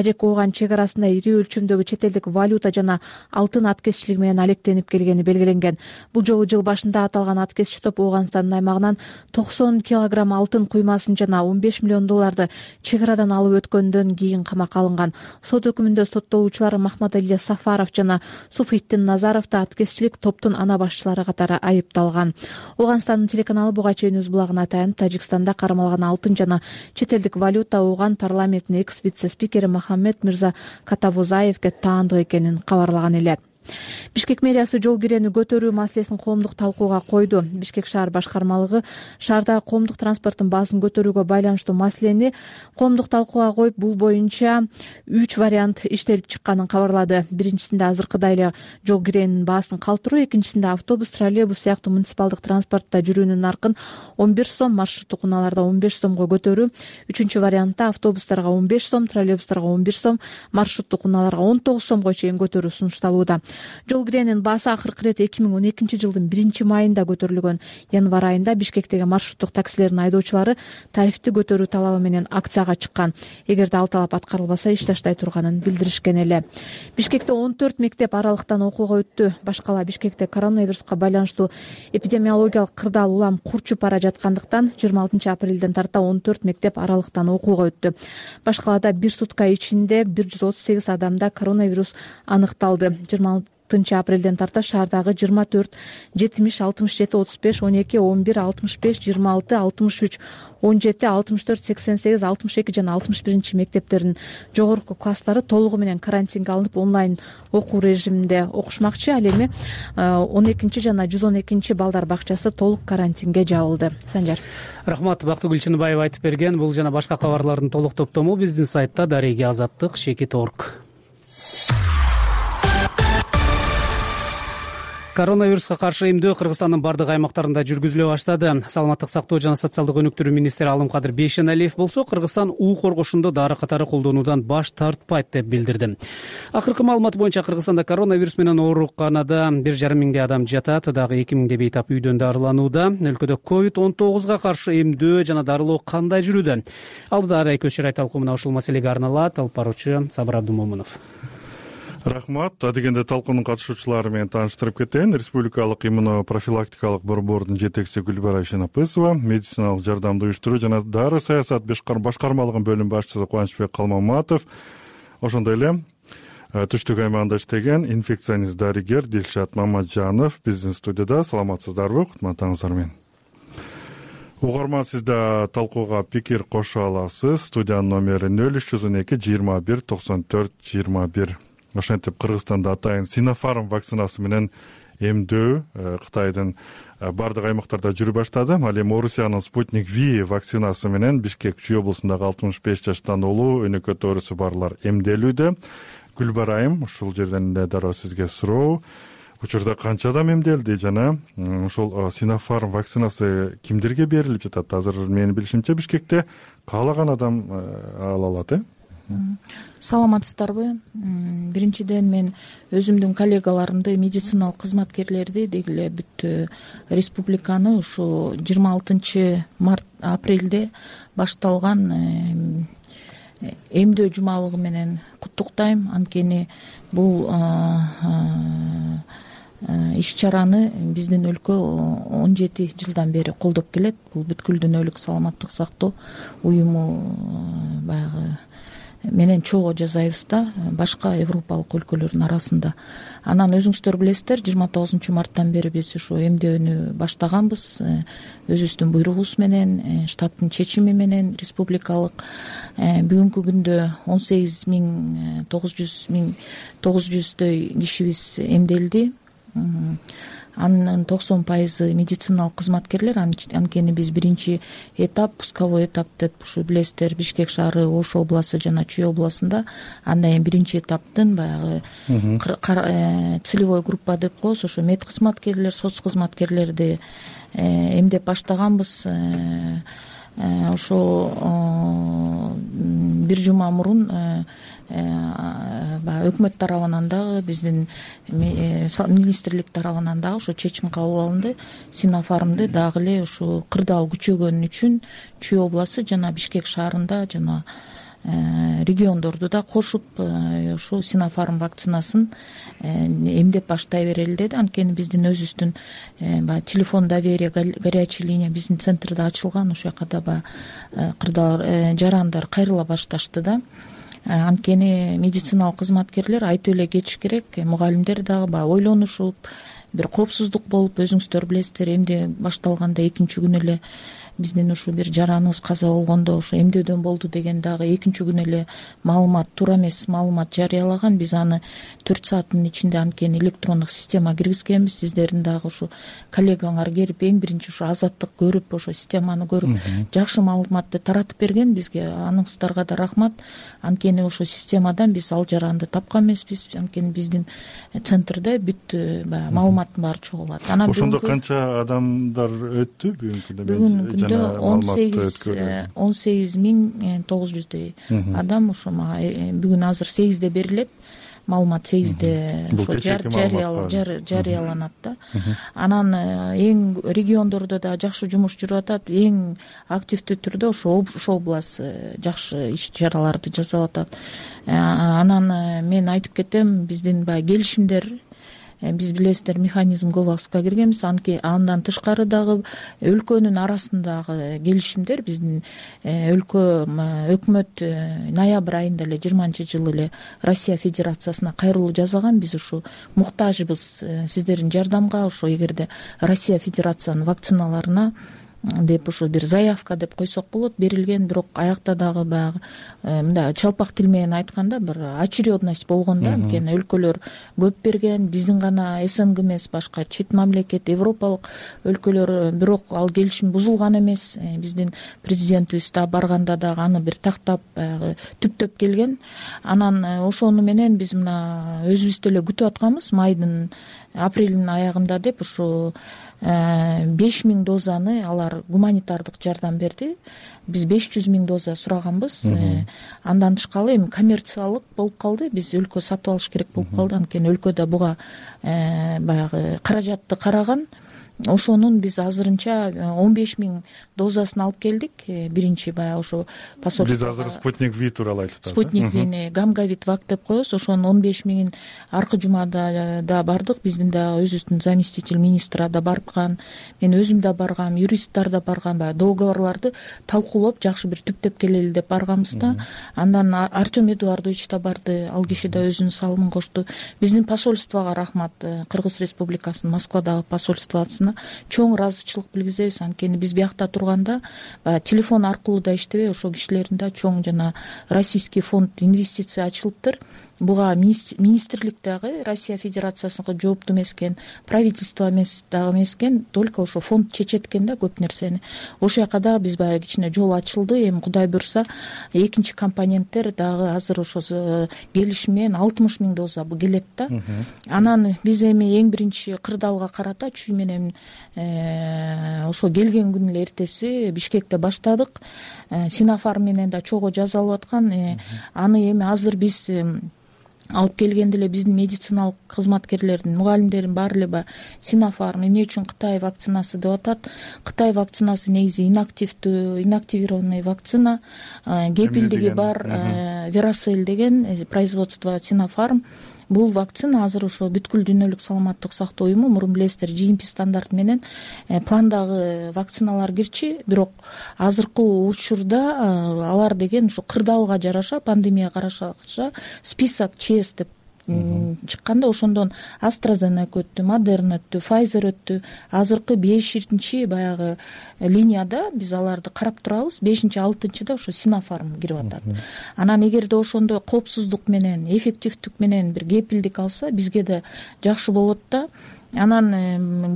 Ооган чек арасында ири өлчөмдөгү чет элдик валюта жана алтын аткезчилиги менен алектенип келгени белгиленген. Бул жолу жыл башында аталган аткезчи топ Ооганстандын аймагынан 90 килограмм алтын куймасын жана 15 миллион долларды чек арадан алып өткөндөн кийин камакка алынган. Сот өкүмүндө соттолуучулар Махмадалия Сафаров жана Суфиттин Назаров да аткезчилик топтун ана башчылары катары айыпталган. Ооганстандын телеканалы буга чейин өз булагына таянып, Тажикстанда кармалган алтын жана чет элдик валюта Ооган парламентинин экс вице спикери Мухаммед Мирза Катавузаевге таандык экенин кабарлаган эле. Бишкек мэриясы жол кирени көтөрүү маселесин коомдук талкууга койду. Бишкек шаар башкармалыгы шаардагы коомдук транспорттун баасын көтөрүүгө байланыштуу маселени коомдук талкууга коюп, бул боюнча 3 вариант иштелип чыкканын кабарлады. Биринчисинде азыркыдай эле жол киренин баасын калтыруу, экинчисинде автобус, троллейбус сыяктуу муниципалдык транспортто жүрүүнүн наркын 11 сом, маршруттук унааларда 15 сомго көтөрүү, үчүнчү вариантта автобустарга 15 сом, троллейбустарга 11 сом, маршруттук унааларга 19 сомго чейин көтөрүү сунушталууда. Жол киренин баасы акыркы ирет 2012 жылдын 1-майында көтөрүлгөн. Январь айында Бишкектеги маршруттук таксилердин айдоочулары тарифти көтөрүү талабы менен акцияга чыккан. Эгерде ал талап аткарылбаса, иш таштай турганын билдиришкен эле. Бишкекте 14 мектеп аралыктан окууга өттү. Башкала Бишкекте коронавируска байланыштуу эпидемиологиялык кырдаал улам курчуп бара жаткандыктан 26 апрелден тарта 14 мектеп аралыктан окууга өттү. Башкалада бир сутка ичинде 138 адамда коронавирус аныкталды. 26 апрелден тарта шаардагы 24 70 67 35 12 11 65 26 63 17 64 88 62 жана 61 мектептердин жогорку класстары толугу менен карантинге алынып, онлайн окуу режиминде окушмакчы. Ал эми 12 жана 112 балдар бакчасы толук карантинге жабылды. Санжар. Рахмат, Бактыгүл Чыныбаева айтып берген. Бул жана башка кабарлардын толук топтому биздин сайтта дареги азаттык /org. Коронавируска каршы эмдөө Кыргызстандын бардык аймактарында жүргүзүлө баштады. Саламаттык сактоо жана социалдык өнүктүрүү министри Алымкадыр Бейшеналиев болсо, Кыргызстан уу коргошунду дары катары колдонуудан баш тартпайт деп билдирди. Акыркы маалымат боюнча Кыргызстанда коронавирус менен ооруканада 1,5 миңдей адам жатат, дагы 2 миңдей бейтап үйдөн дарыланууда. Өлкөдө COVID-19 каршы эмдөө жана дарылоо кандай жүрүүдө? Алдыда Арай Көчөр талкуумуна ушул маселеге арналат. Алып баруучу Сабыр Абдумомунов. Рахмат. Адегенде талкуунун катышуучулары менен тааныштырып кетейин. Республикалык иммунопрофилактикалык борбордун жетекчиси Гүлбара Шенапысова, медициналык жардамды уюштуруу жана дары саясат башкармалыгынын бөлүм башчысы Кубанычбек Калмаматов, ошондой эле түштүк аймагында иштеген инфекционист дарыгер Дилшат Мамаджанов биздин студияда. Саламатсыздарбы? Кутмандыңыздар менен. Угарман, сиз да талкууга пикир кошо аласыз. Студиянын номери 0302 21 94 21. Ошентип Кыргызстанда атайын Sinopharm вакцинасы менен эмдөө Кытайдын бардык аймактарда жүрү баштады. Ал эми Орусиянын Спутник V вакцинасы менен Бишкек Чүй облусундагы 65 жаштан улуу өнөкөт оорусу барлар эмделүүдө. Гүлбарайым, ушул жерден эле дароо сизге суроо. Учурда канча адам эмделди жана ушул Sinopharm вакцинасы кимдерге берилип жатат? Азыр менин билишимче Бишкекте каалаган адам ала алат. Саламатсыздарбы? Биринчиден мен өзүмдүн коллегаларымды, медициналык кызматкерлерди, деги эле бүт республиканы ушу 26 апрелде башталган эмдөө жумалыгы менен куттуктайм. Анткени бул иш-чараны биздин өлкө 17 жылдан бери колдоп келет. Бул бүткүл дүйнөлүк саламаттык сактоо уюму баягы менен чогуу жасайбыз да, башка европалык өлкөлөрдүн арасында. Анан өзүңүздөр билесиздер, 29 марттан бери биз ушу эмдөөнү баштаганбыз. Өзүбүздүн буйругубуз менен, штаттын чечими менен республикалык. Бүгүнкү күндө 18,900 кишибиз эмделди. Анын 90% медициналык кызматкерлер. Анткени биз биринчи этап, пусковой этап деп ушу билесиздер, Бишкек шаары, Ош областы жана Чүй областында. Андан кийин биринчи этаптын баягы целевой группа деп коебуз, ошо мед кызматкерлер, соц кызматкерлерди эмдеп баштаганбыз. Ошо бир жума мурун өкмөт тарабынан дагы, биздин министрлик тарабынан дагы ошо чечим кабыл алынды. Sinopharm'ды дагы эле ушу кырдаал күчөгөнү үчүн Чүй областы жана Бишкек шаарында жана региондорду да кошуп ушу Sinopharm вакцинасын эмдеп баштай берели деди. Анткени биздин өзүбүздүн баягы телефон доверия, горячий линия биздин центрде ачылган. Ошол жака да баягы кырдаал жарандар кайрыла башташты да. Анткени медициналык кызматкерлер айтып эле кетиш керек. Мугалимдер дагы баягы ойлонушуп, бир коопсуздук болуп, өзүңүздөр билесиздер, эмне башталганда экинчи күнү эле биздин ушу бир жараныбыз каза болгондо ошо эмдөөдөн болду деген дагы экинчи күнү эле маалымат, туура эмес маалымат жарыялаган. Биз аны 4 сааттын ичинде анткени электрондук система киргизгенбиз. Сиздердин дагы ушу коллегаңар келип эң биринчи ушу Азаттык көрүп, ошо системаны көрүп жакшы маалыматты таратып берген бизге. Аныңыздарга да рахмат. Анткени ошо системадан биз ал жаранды тапкан эмеспиз. Анткени биздин центрде бүт баягы маалыматтын баары чогулат. Анан ошондо канча адамдар өттү бүгүнкү күндө? Бүгүнкү күндө 18.900 адам ошо мага бүгүн азыр 8де берилет. Маалымат 8де ошо жарыяланат да. Анан эң региондордо да жакшы жумуш жүрүп атат. Эң активдүү түрдө ошо область жакшы иш чараларды жасап атат. Анан мен айтып кетем, биздин баягы келишимдер, биз билесиздер механизм ГОВАКСка киргенбиз. Андан тышкары дагы өлкөнүн арасындагы келишимдер биздин өлкө өкмөт ноябрь айында эле 20-жылы эле Россия Федерациясына кайрылуу жасаган. Биз ушу муктажбыз сиздердин жардамга. Ошо эгерде Россия Федерациянын вакциналарына деп ушу бир заявка деп койсок болот, берилген. Бирок аякта дагы баягы мындай чалпак тил менен айтканда бир очередность болгон да. Анткени өлкөлөр көп берген, биздин гана СНГ эмес, башка чет мамлекет, европалык өлкөлөр. Бирок ал келишим бузулган эмес. Биздин президентибиз да барганда дагы аны бир тактап баягы түптөп келген. Анан ошону менен биз мына өзүбүз деле күтүп атканбыз апрелдин аягында деп ушу 5000 дозаны алар гуманитардык жардам берди. Биз 500 000 доза сураганбыз. Андан тышкары эми коммерциялык болуп калды. Биз өлкө сатып алыш керек болуп калды. Анткени өлкөдө буга баягы каражатты караган. Ошонун биз азырынча 15 000 дозасын алып келдик. Биринчи баягы ошо посольство. Биз азыр Спутник V тууралуу айтып атабыз. Спутник V'ни Гамгавит вак деп коебуз. Ошонун 15 000 аркы жумада да бардык. Биздин да өзүбүздүн заместитель министра да барган. Мен өзүм да баргам, юристтер да барган. Баягы договорлорду талкуулап жакшы бир түптөп келели деп барганбыз да. Андан Артем Эдуардович да барды. Ал киши да өзүнүн салымын кошту. Биздин посольствого рахмат. Кыргыз Республикасынын Москвадагы посольствосуна чоң ыраазычылык билгизебиз. Анткени биз биякта турганда телефон аркылуу да иштебей, ошол кишилердин да чоң жана Российский фонд инвестиция ачылыптыр. Буга министрлик дагы Россия Федерациясына жооптуу эмес экен, правительство дагы эмес экен, только ошо фонд чечет экен да көп нерсени. Ошол жака дагы биз баягы кичине жол ачылды. Эми Кудай буйрса экинчи компоненттер дагы азыр ошо келишим менен 60 000 доза келет да. Анан биз эми эң биринчи кырдаалга карата чүй менен ошо келген күнүн эле эртеси Бишкекте баштадык. Синофарм менен да чогуу жасалып аткан. Аны эми азыр биз алып келгенде эле биздин медициналык кызматкерлердин, мугалимдердин баары эле баягы Синофарм эмне үчүн Кытай вакцинасы деп атат. Кытай вакцинасы негизи инактивированный вакцина, кепилдиги бар Веросель деген производство Синофарм. Бул вакцина азыр ошо бүткүл дүйнөлүк саламаттык сактоо уюму, мурун билесиздер, GMP стандарт менен пландагы вакциналар кирчи. Бирок азыркы учурда алар деген ошо кырдаалга жараша, пандемияга жараша список ЧС деп чыкканда ошондон AstraZeneca өттү, Moderna өттү, Pfizer өттү. Азыркы 5-чи баягы линияда биз аларды карап турабыз. 5-6-да ошо Синофарм кирип атат. Анан эгерде ошондо коопсуздук менен, эффективдүк менен бир кепилдик алса, бизге да жакшы болот да. Анан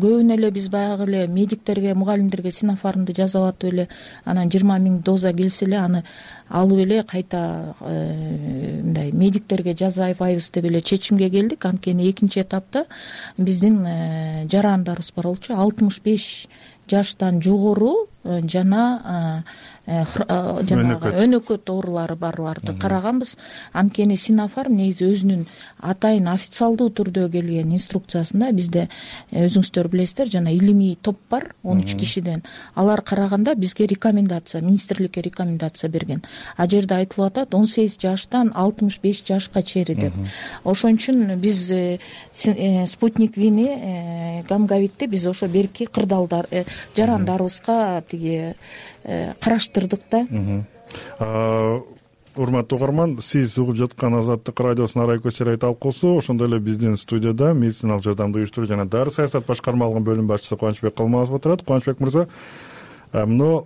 көбүнө эле биз баягы эле медиктерге, мугалимдерге Синофармды жасап атып эле, анан 20 000 доза келсе эле аны алып эле кайта мындай медиктерге жасабайбыз деп эле чечимге келдик. Анткени экинчи этапта биздин жарандарыбыз бар болчу, 65 жаштан жогору жана жанагы өнөкөт оорулары барларды караганбыз. Анткени Синофарм негизи өзүнүн атайын официалдуу түрдө келген инструкциясында бизде өзүңүздөр билесиздер, жана илимий топ бар 13 кишиден. Алар караганда бизге рекомендация, министрликке рекомендация берген. А жерде айтылып атат 18 жаштан 65 жашка чейин деп. Ошон үчүн биз Спутник V'ни Гамгавитти биз ошо берки кырдаалдар жарандарыбызга тиги караштырдык да. Урматтуу угарман, сиз угуп жаткан Азаттык радиосунун арай көчөрай талкуусу. Ошондой эле биздин студияда медициналык жардамды уюштуруу жана дары саясат башкармалыгынын бөлүм башчысы Кубанычбек Калмазов отурат. Кубанычбек мырза, мына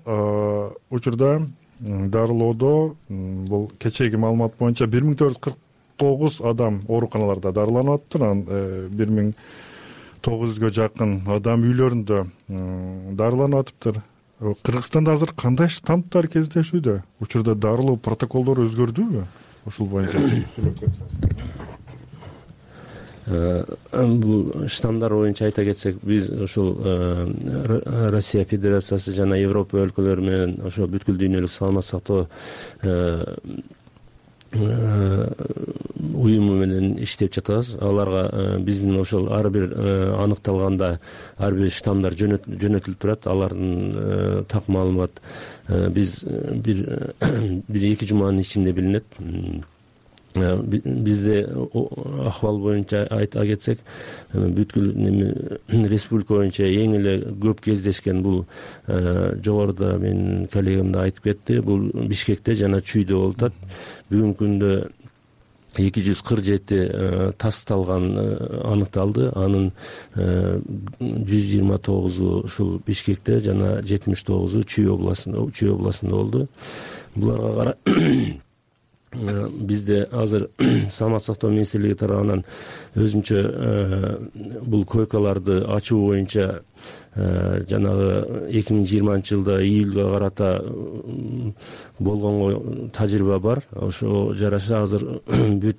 учурда дарылоодо бул кечээги маалымат боюнча 1449 адам ооруканаларда дарыланып атыптыр. Анан 1900гө жакын адам үйлөрүндө дарыланып атыптыр. Кыргызстанда азыр кандай штамптар кездешүүдө? Учурда дарылоо протоколдору өзгөрдүбү? Ушул боюнча сүйлөп кетсеңиз. Бул штамдар боюнча айта кетсек, биз ушул Россия Федерациясы жана Европа өлкөлөрү менен ошо бүткүл дүйнөлүк саламаттык сактоо уюму менен иштеп жатабыз. Аларга биздин ошол ар бир аныкталганда ар бир штамдар жөнөтүлүп турат. Алардын так маалымат биз бир-эки жуманын ичинде билинет. Бизде акыбал боюнча айта кетсек, бүткүл республика боюнча эң эле көп кездешкен бул жогоруда менин коллегам да айтып кетти, бул Бишкекте жана Чүйдө болуп атат. Бүгүнкү күндө 247 тасталган аныкталды. Анын 129-у ушул Бишкекте жана 79-у Чүй областында болду. Буларга кара бизде азыр саламаттык сактоо министрлиги тарабынан өзүнчө бул койкаларды ачуу боюнча жанагы 2020-жылда июлга карата болгонго тажрыйба бар. Ошо жараша азыр бүт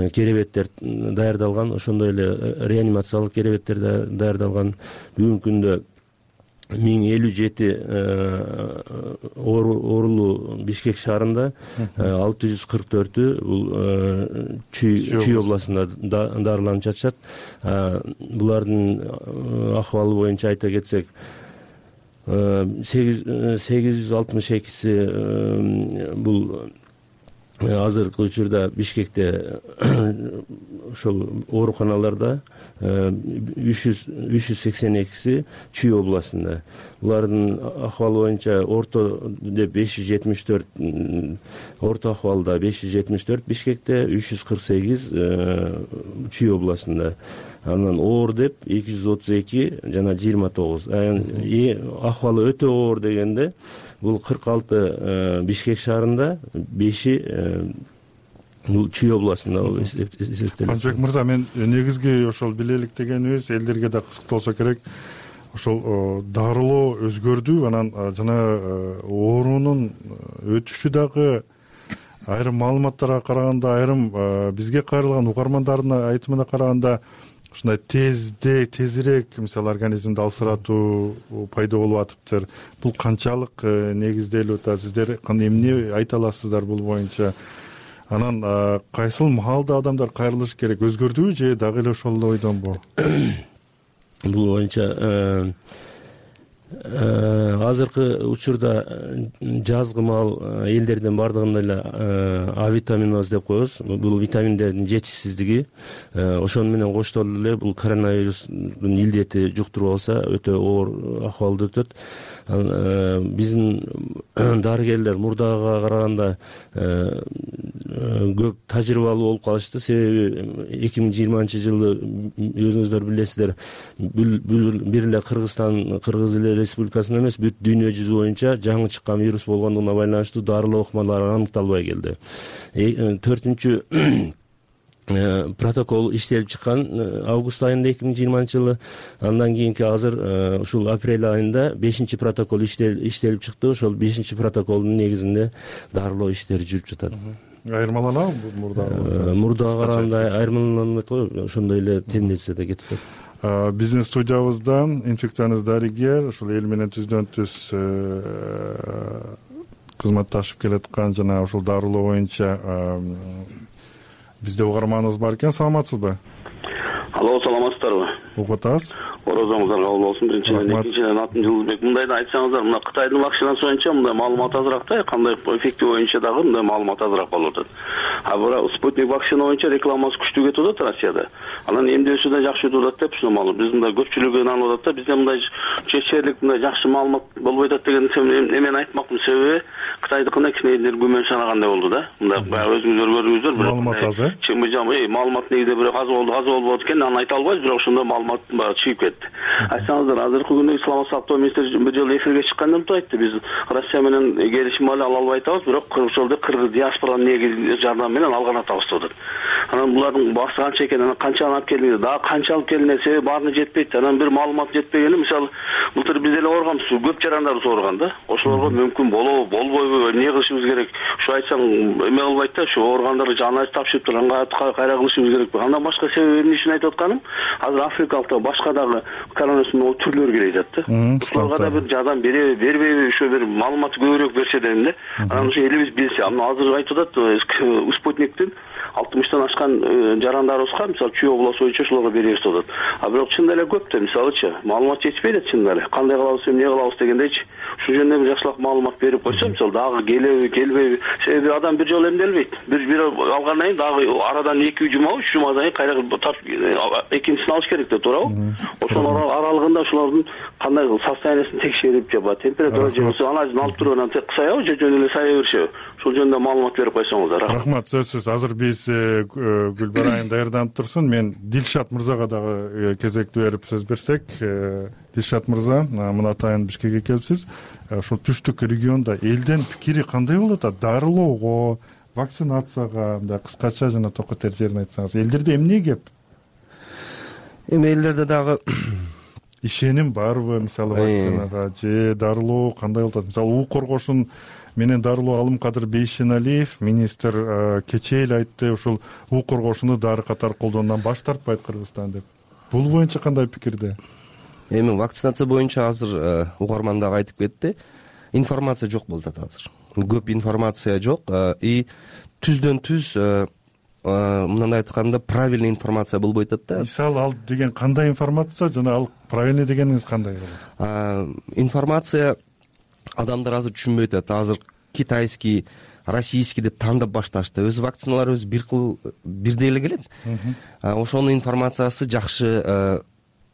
керебеттер даярдалган, ошондой эле реанимациялык керебеттер даярдалган. Бүгүнкү күндө 1057 оорулуу Бишкек шаарында, 644-ü бул Чүй областында дарыланып жатышат. Булардын акыбалы боюнча айта кетсек, 862-си бул азыркы учурда Бишкекте ошол ооруканаларда, 382-си Чүй областында. Булардын акыбалы боюнча орто деп 574, орто акыбалда 574 Бишкекте, 348 Чүй областында. Анан оор деп 232 жана 29. Акыбалы өтө оор дегенде бул 46 Бишкек шаарында, 5-и бул Чүй областында эсептелет. Канчыбек мырза, мен негизги ошол билелик дегенибиз элдерге да кызыктолсо керек. Ошол дарылоо өзгөрдү, анан жана оорунун өтүшү дагы айрым маалыматтарга караганда, айрым бизге кайрылган угармандардын айтымына караганда ушундай тезирээк мисалы организмди алсыратуу пайда болуп атыптыр. Бул канчалык негизделип атат? Сиздер эмне айта аласыздар бул боюнча? Анан кайсыл маалда адамдар кайрылыш керек? Өзгөрдүбү же дагы эле ошол ойдонбу? Бул боюнча азыркы учурда жазгы маал элдердин бардыгында эле А витаминоз деп коебуз. Бул витаминдердин жетишсиздиги, ошону менен коштолуп эле бул коронавирустун илдети жуктуруп алса өтө оор акыбалды өтөт. Биздин дарыгерлер мурдага караганда көп тажрыйбалуу болуп калышты. Себеби 2020-жылы өзүңүздөр билесиздер, бир эле Кыргызстан, Кыргыз Республикасында эмес, бүт дүйнө жүзү боюнча жаңы чыккан вирус болгондугуна байланыштуу дарылоо ыкмалары аныкталбай келди. 4-чү протокол иштелип чыккан август айында 2020-жылы. Андан кийинки азыр ушул апрель айында 5-чи протокол иштелип чыкты. Ошол 5-чи протоколдун негизинде дарылоо иштери жүрүп жатат. Айырмаланабы мурдага? Мурдага караганда айырмаланат го, ошондой эле тенденцияда кетип атат. Биздин студиябызда инфекционист дарыгер, ушул эл менен түздөн түз кызматташып келаткан жана ушул дарылоо боюнча бизде угарманыбыз бар экен. Саламатсызбы? Алло, саламатсыздарбы? Угуп атабыз. Орозоңуздар кабыл болсун. Биринчиден, экинчиден атым Жылдызбек. Мындай да айтсаңыздар, мына Кытайдын вакцинасы боюнча мындай маалымат азыраак да, кандай эффекти боюнча дагы мындай маалымат азыраак болуп атат. А бирок спутник вакцина боюнча рекламасы күчтүү кетип атат Россияда. Анан эмдөөсү да жакшы өтүп атат деп ушул биз мындай көпчүлүгү инанып атат да, бизде мындай чечерлик мындай жакшы маалымат болбой атат деген эмени айтмактын себеби Кытайдыкына кичинекей күмөн санагандай болду да. Мындай баягы өзүңүздөр көрдүңүздөр, бирок маалымат аз, маалымат негизи бирок аз болбойт экен, аны айта албайбыз, бирок ошондой маалымат чыгып кетти. Айтсаңыздар, азыркы күндө Исламат сактоо министри бир жолу эфирге чыкканда мынтип айтты: биз Россия менен келишим ала албай атабыз, бирок ошолду кыргыз диаспоранын негизи жардам менен алган атабыз деп атат. Анан булардын баасы канча экен, анан канчаны алып келдиңиз, дагы канча алып келдиңиз, себеби баарына жетпейт. Анан бир маалымат жетпегени, мисалы, былтыр биз деле ооруганбыз, көп жарандарыбыз ооруган да. Ошолорго мүмкүн болобу, болбойбу, эмне кылышыбыз керек? Ушу айтсаң эме кылбайт да, ушу ооругандарды жаныбыз тапшырып турганга кайра кылышыбыз керек. Андан башка себеби эмне үчүн айтып атканым? Азыр африкалык башка дагы коронавирустун түрлөрү келе жатат да. Ошолорго да бир жардам береби, бербейби, ушу бир маалымат көбүрөөк берсе дедим да. Анан ушу элибиз билсе, азыр айтып атат, спутниктин 60тан ашкан жарандарыбызга, мисалы, Чүй областы боюнча ошолорго беребиз деп атат. А бирок чынында эле көп да, мисалычы, маалымат жетишпейт да чынында эле. Кандай кылабыз, эмне кылабыз дегендейчи. Ушул жөнүндө бир жакшылап маалымат берип койсо, мисалы, дагы келеби, келбейби. Себеби адам бир жолу эмделбейт. Бир алгандан кийин дагы арадан 2 жума, 3 жумадан кийин кайра экинчисин алыш керек деп туурабы? Ошонун аралыгында ошолордун кандай состояниясын текшерип, же температура же анализин алып туруп анан кысайбы, же жөн эле сая беришеби? Ушул жөнүндө маалымат берип койсоңуздар. Рахмат, сөзсүз. Азыр биз Гүлбар айым даярданып турсун. Мен Дилшат мырзага дагы кезекти берип сөз берсек. Дилшат мырза, мына атайын Бишкекке келипсиз. Ошол түштүк региондо элдин пикири кандай болуп атат? Дарылоого, вакцинацияга, мындай кыскача жана токотер жерин айтсаңыз, элдерде эмне кеп? Эми элдерде дагы ишеним барбы, мисалы, вакцинага же дарылоо кандай болуп атат? Мисалы, уу коргошун менен дарылоо Алымкадыр Бейшеналиев министр кечээ эле айтты, ушул уу коргошуну дары катары колдонуудан баш тартпайт Кыргызстан деп. Бул боюнча кандай пикирде? Эми вакцинация боюнча азыр угарман дагы айтып кетти. Информация жок болуп атат азыр. Көп информация жок и түздөн түз мындай айтканда правильный информация болбой атат да. Мисалы, ал деген кандай информация жана ал правильный дегениңиз кандай? Информация адамдар азыр түшүнбөй атат. Азыр китайский, российский деп тандап башташты. Өз вакциналар өзү бирдей эле келет. Ошонун информациясы жакшы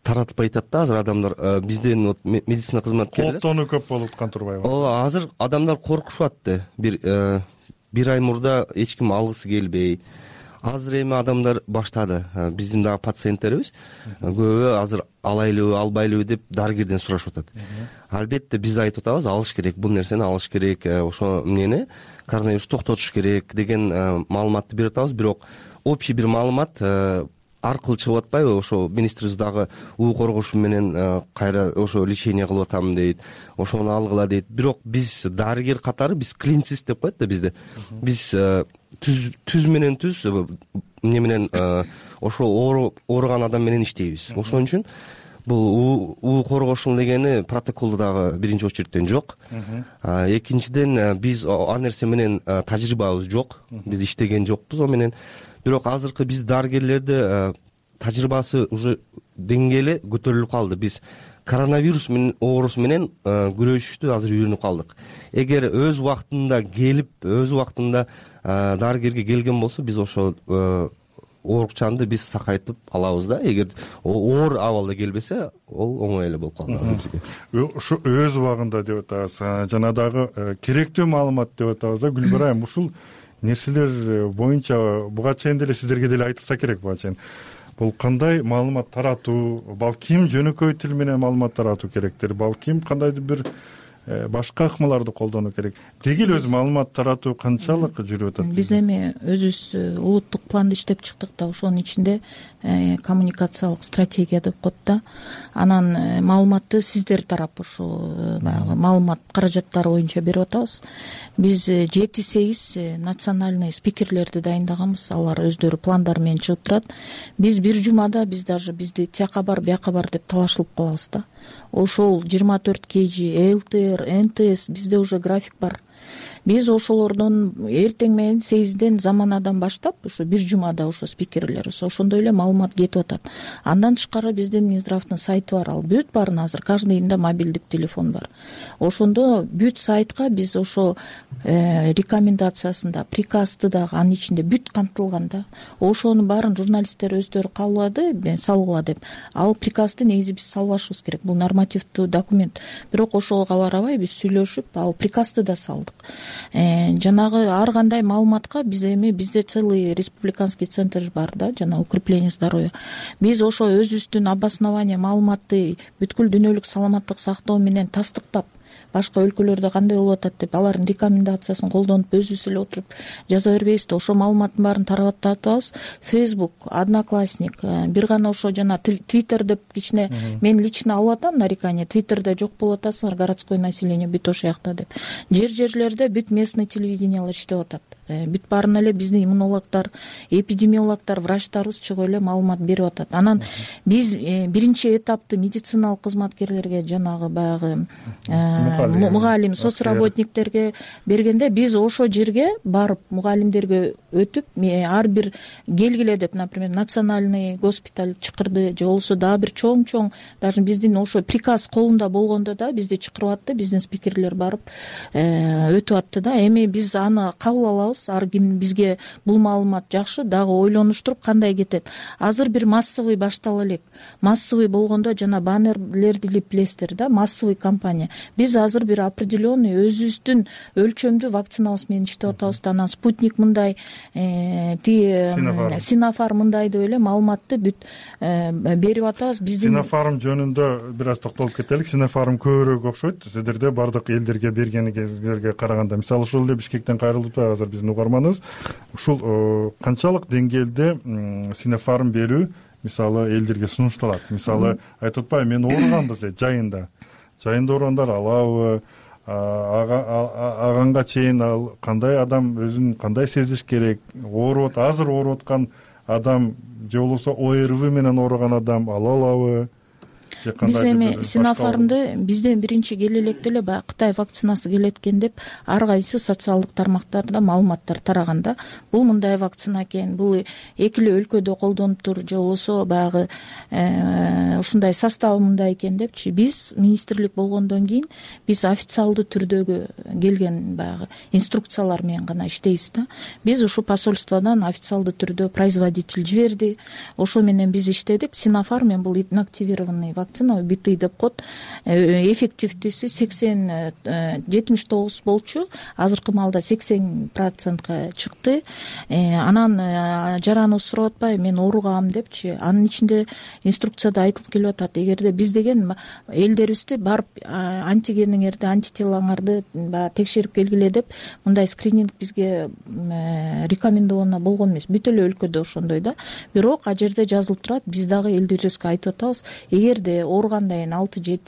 таратпай атат да азыр адамдар. Бизден медицина кызматкерлери кооптонуу көп болуп аткан турбайбы? Ооба, азыр адамдар коркушуп атты. Бир ай мурда эч ким алгысы келбей. Азыр эми адамдар баштады. Биздин дагы пациенттерибиз көбү азыр алайлыбы, албайлыбы деп дарыгерден сурашып атат. Албетте биз айтып атабыз, алыш керек, бул нерсени алыш керек, ошо эмнени коронавирусту токтотуш керек деген маалыматты берип атабыз. Бирок общий бир маалымат аркылуу чыгып атпайбы? Ошо министрибиз дагы уу коргошу менен кайра ошо лечение кылып атам дейт, ошону алгыла дейт. Бирок биз дарыгер катары, биз клиницист деп коет да бизде. Биз түз менен түз эмне менен ошо ооруган адам менен иштейбиз. Ошон үчүн бул уу коргошуу дегени протоколдо дагы биринчи очередтен жок. Экинчиден биз ал нерсе менен тажрыйбабыз жок. Биз иштеген жокпуз ал менен. Бирок азыркы биз дарыгерлерде тажрыйбасы уже деңгээли көтөрүлүп калды. Биз коронавирус менен оорусу менен күрөшүштү азыр үйрөнүп калдык. Эгер өз убактында келип, өз убактында дарыгерге келген болсо, биз ошо оорукчанды биз сакайтып алабыз да. Эгер оор абалда келбесе, ол оңой эле болуп калат бизге. Ушу өз убагында деп атабыз. Жана дагы керектүү маалымат деп атабыз да. Гүлбар айым, ушул нерселер боюнча буга чейин деле сиздерге деле айтылса керек буга чейин. Бул кандай маалымат таратуу, балким жөнөкөй тил менен маалымат таратуу керектир, балким кандайдыр бир башка ыкмаларды колдонуу керек. Дегил өзү маалымат таратуу канчалык жүрүп атат? Биз эми өзүбүз улуттук планды иштеп чыктык да, ошонун ичинде коммуникациялык стратегия деп коет да. Анан маалыматты сиздер тарап ушу баягы маалымат каражаттары боюнча берип атабыз. Биз 7-8 национальный спикерлерди дайындаганбыз. Алар өздөрү пландар менен чыгып турат. Биз бир жумада бизди тияка бар, бияка бар деп талашылып калабыз да. Ошол 24 KG, ЛТР, НТС бизде уже график бар. биз ошолордон эртең менен 8ден заманадан баштап ушу бир жумада ошо спикерлерибиз ошондой эле маалымат кетип атат. Андан тышкары биздин Минздравдын сайты бар, ал бүт баарын азыр каждыйында мобилдик телефон бар. Ошондо бүт сайтка биз ошо рекомендациясында, приказды дагы анын ичинде бүт камтылган да. Ошонун баарын журналисттер өздөрү кабылады, салгыла деп. Ал приказды негизи биз салбашыбыз керек. Бул нормативдүү документ. Бирок ошого барабай биз сүйлөшүп, ал приказды да салдык. Жанагы ар кандай маалыматка бизде целый республиканский центр бар да, жана укрепление здоровья. Биз ошо өзүбүздүн обоснование маалыматты бүткүл дүйнөлүк саламаттык сактоо менен тастыктап, башка өлкөлөрдө кандай болуп атат деп алардын рекомендациясын колдонуп өзүбүз эле отуруп жаза бербейбиз да. Ошо маалыматтын баарын тараттатабыз. Facebook, Одноклассник, бир гана ошо жана Twitter деп кичине мен лично алып атам нарекание. Twitterде жок болуп атасыңар, городской население бүт ошол жакта деп. Жерлерде бүт местный телевидениялар иштеп атат. Бүт баарын эле биздин иммунологдор, эпидемиологдор, врачтарыбыз чыгып эле маалымат берип атат. Анан биз биринчи этапты медициналык кызматкерлерге, жанагы баягы мугалим, соцработниктерге бергенде биз ошо жерге барып мугалимдерге өтүп, ар бир келгиле деп, например, национальный госпиталь чакырды, же болбосо дагы бир чоң даже биздин ошо приказ колунда болгондо да бизди чакырып атты, биздин спикерлер барып өтүп атты да. Эми биз аны кабыл алабыз. Ар ким бизге бул маалымат жакшы, дагы ойлонуштуруп кандай кетет. Азыр бир массовый баштала элек. Массовый болгондо жана баннерлерди билесиздер да, массовый кампания. Биз азыр бир определенный өзүбүздүн өлчөмдүү вакцинабыз менен иштеп атабыз да. Анан спутник мындай, Синофарм мындай деп эле маалыматты бүт берип атабыз. Биздин Синофарм жөнүндө бир аз токтолуп кетелик. Синофарм көбүрөөк окшойт сиздерде бардык элдерге бергениңерге караганда. Мисалы ушул эле Бишкектен кайрылып азыр биздин угарманыбыз ушул канчалык деңгээлде Синофарм берүү мисалы элдерге сунушталат. Мисалы айтып атпайбы, мен ооруганбыз дейт жайында ооругандар алабы, аганга чейин ал кандай адам өзүн кандай сезиш керек, азыр ооруп аткан адам же болбосо ОРВ менен ооруган адам ала алабы? Биз эми Синофармды бизден биринчи келе электе эле баягы Кытай вакцинасы келет экен деп ар кайсы социалдык тармактарда маалыматтар тараганда, бул мындай вакцина экен, бул эки эле өлкөдө колдонуптур, же болбосо баягы ушундай составы мындай экен депчи. Биз министрлик болгондон кийин биз официалдуу түрдөгү келген баягы инструкциялар менен гана иштейбиз да. Биз ушул посольстводон официалдуу түрдө производитель жиберди, ошо менен биз иштедик. Синофарм бул инактивированный вакцина, убитый деп коет. Эффективдүүсү 79 болчу, азыркы маалда 80% чыкты. Анан жараныбыз сурап атпайбы, мен ооругам депчи. Анын ичинде инструкцияда айтылып келип атат, эгерде биз деген элдерибизди барып антигениңерди, антителоңарды текшерип келгиле деп мындай скрининг бизге рекомендовано болгон эмес. Бүт эле өлкөдө ошондой да. Бирок а жерде жазылып турат, биз дагы элдерибизге айтып атабыз, эгерде ооругандан кийин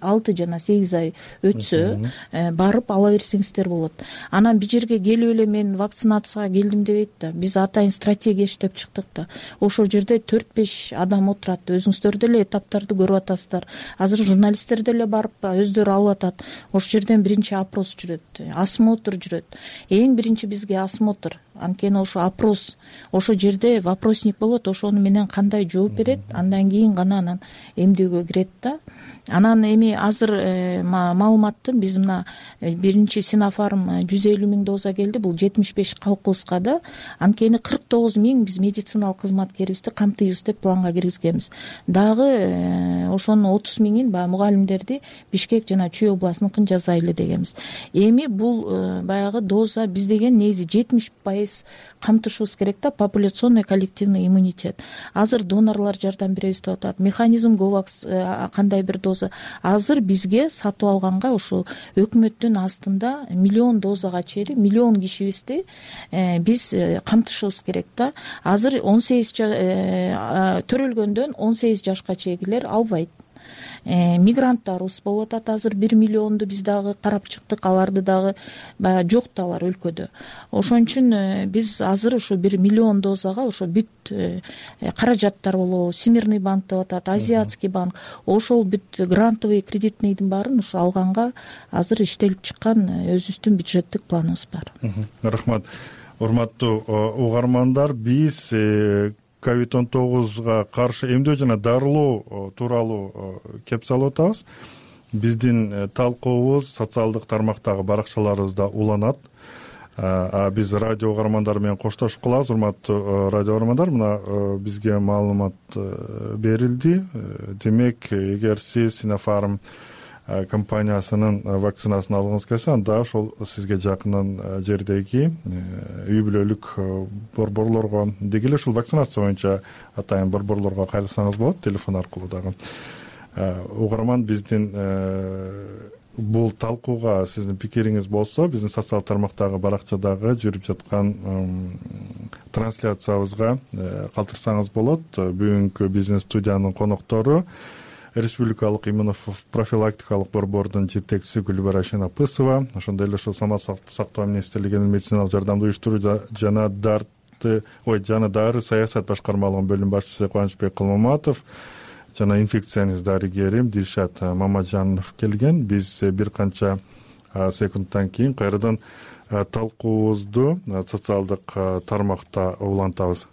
6 жана 8 ай өтсө барып ала берсеңиздер болот. Анан бир жерге келип эле мен вакцинацияга келдим дебейт да. Биз атайын стратегия иштеп чыктык да. Ошол жерде 4-5 адам отурат. Өзүңүздөр деле этаптарды көрүп атасыздар. Азыр журналисттер деле барып өздөрү алып атат. Ошол жерден биринчи опрос жүрөт, осмотр жүрөт. Эң биринчи бизге осмотр. Анткени ошо опрос, ошол жерде вопросник болот, ошону менен кандай жооп берет, андан кийин гана анан эмдөөгө кирет да. Анан эми азыр маалыматтын биз мына биринчи Синофарм 150 000 доза келди, бул 75 калкыбызга да. Анткени 49 000 биз медициналык кызматкерибизди камтыйбыз деп планга киргизгенбиз. Дагы ошонун 30 000-ин баягы мугалимдерди Бишкек жана Чүй областыныкын жасайлы дегенбиз. Эми бул баягы доза биз деген негизи 70% камтышыбыз керек да, популяционный коллективный иммунитет. Азыр донорлор жардам беребиз деп атат. Механизм Говакс кандай бир доза. Азыр бизге сатып алганга ушу өкмөттүн астында 1 миллион дозага чейин 1 миллион кишибизди биз камтышыбыз керек да. Азыр 18 төрөлгөндөн 18 жашка чейинкилер албайт. мигранттарыбыз болуп атат. Азыр 1 миллионду биз дагы карап чыктык, аларды дагы баягы жок да алар өлкөдө. Ошон үчүн биз азыр ушу 1 миллион дозага ошо бүт каражаттар болобу, Всемирный банк деп атат, Азиатский банк, ошол бүт грантовый кредитныйдын баарын ушу алганга азыр иштелип чыккан өзүбүздүн бюджеттик планыбыз бар. Рахмат. Урматтуу угармандар, биз COVID-19 каршы эмдөө жана дарылоо тууралуу кеп салып атабыз. Биздин талкуубуз социалдык тармактагы баракчаларыбызда уланат. Биз радио угармандары менен коштошуп калабыз. Урматтуу радио угармандар, мына бизге маалымат берилди. Демек, эгер сиз Sinopharm компаниясынын вакцинасын алгыңыз келсе, анда ошол сизге жакын жердеги үй бүлөлүк борборлорго, деги эле ушул вакцинация боюнча атайын борборлорго кайрылсаңыз болот, телефон аркылуу дагы. Угарман, биздин бул талкууга сиздин пикириңиз болсо, биздин социалдык тармактагы баракчадагы жүрүп жаткан трансляциябызга калтырсаңыз болот. Бүгүнкү бизнес студиянын коноктору Республикалык иммунопрофилактикалык борбордун жетекчиси Гүлбара Шенапысова, ошондой эле ушул саламаттык сактоо министрлигинин медициналык жардамды уюштуруу жана дары саясат башкармалыгынын бөлүм башчысы Кубанычбек Кылмаматов жана инфекционист дарыгери Дилшат Мамаджанов келген. Биз бир канча секундтан кийин кайрадан талкуубузду социалдык тармакта улантабыз.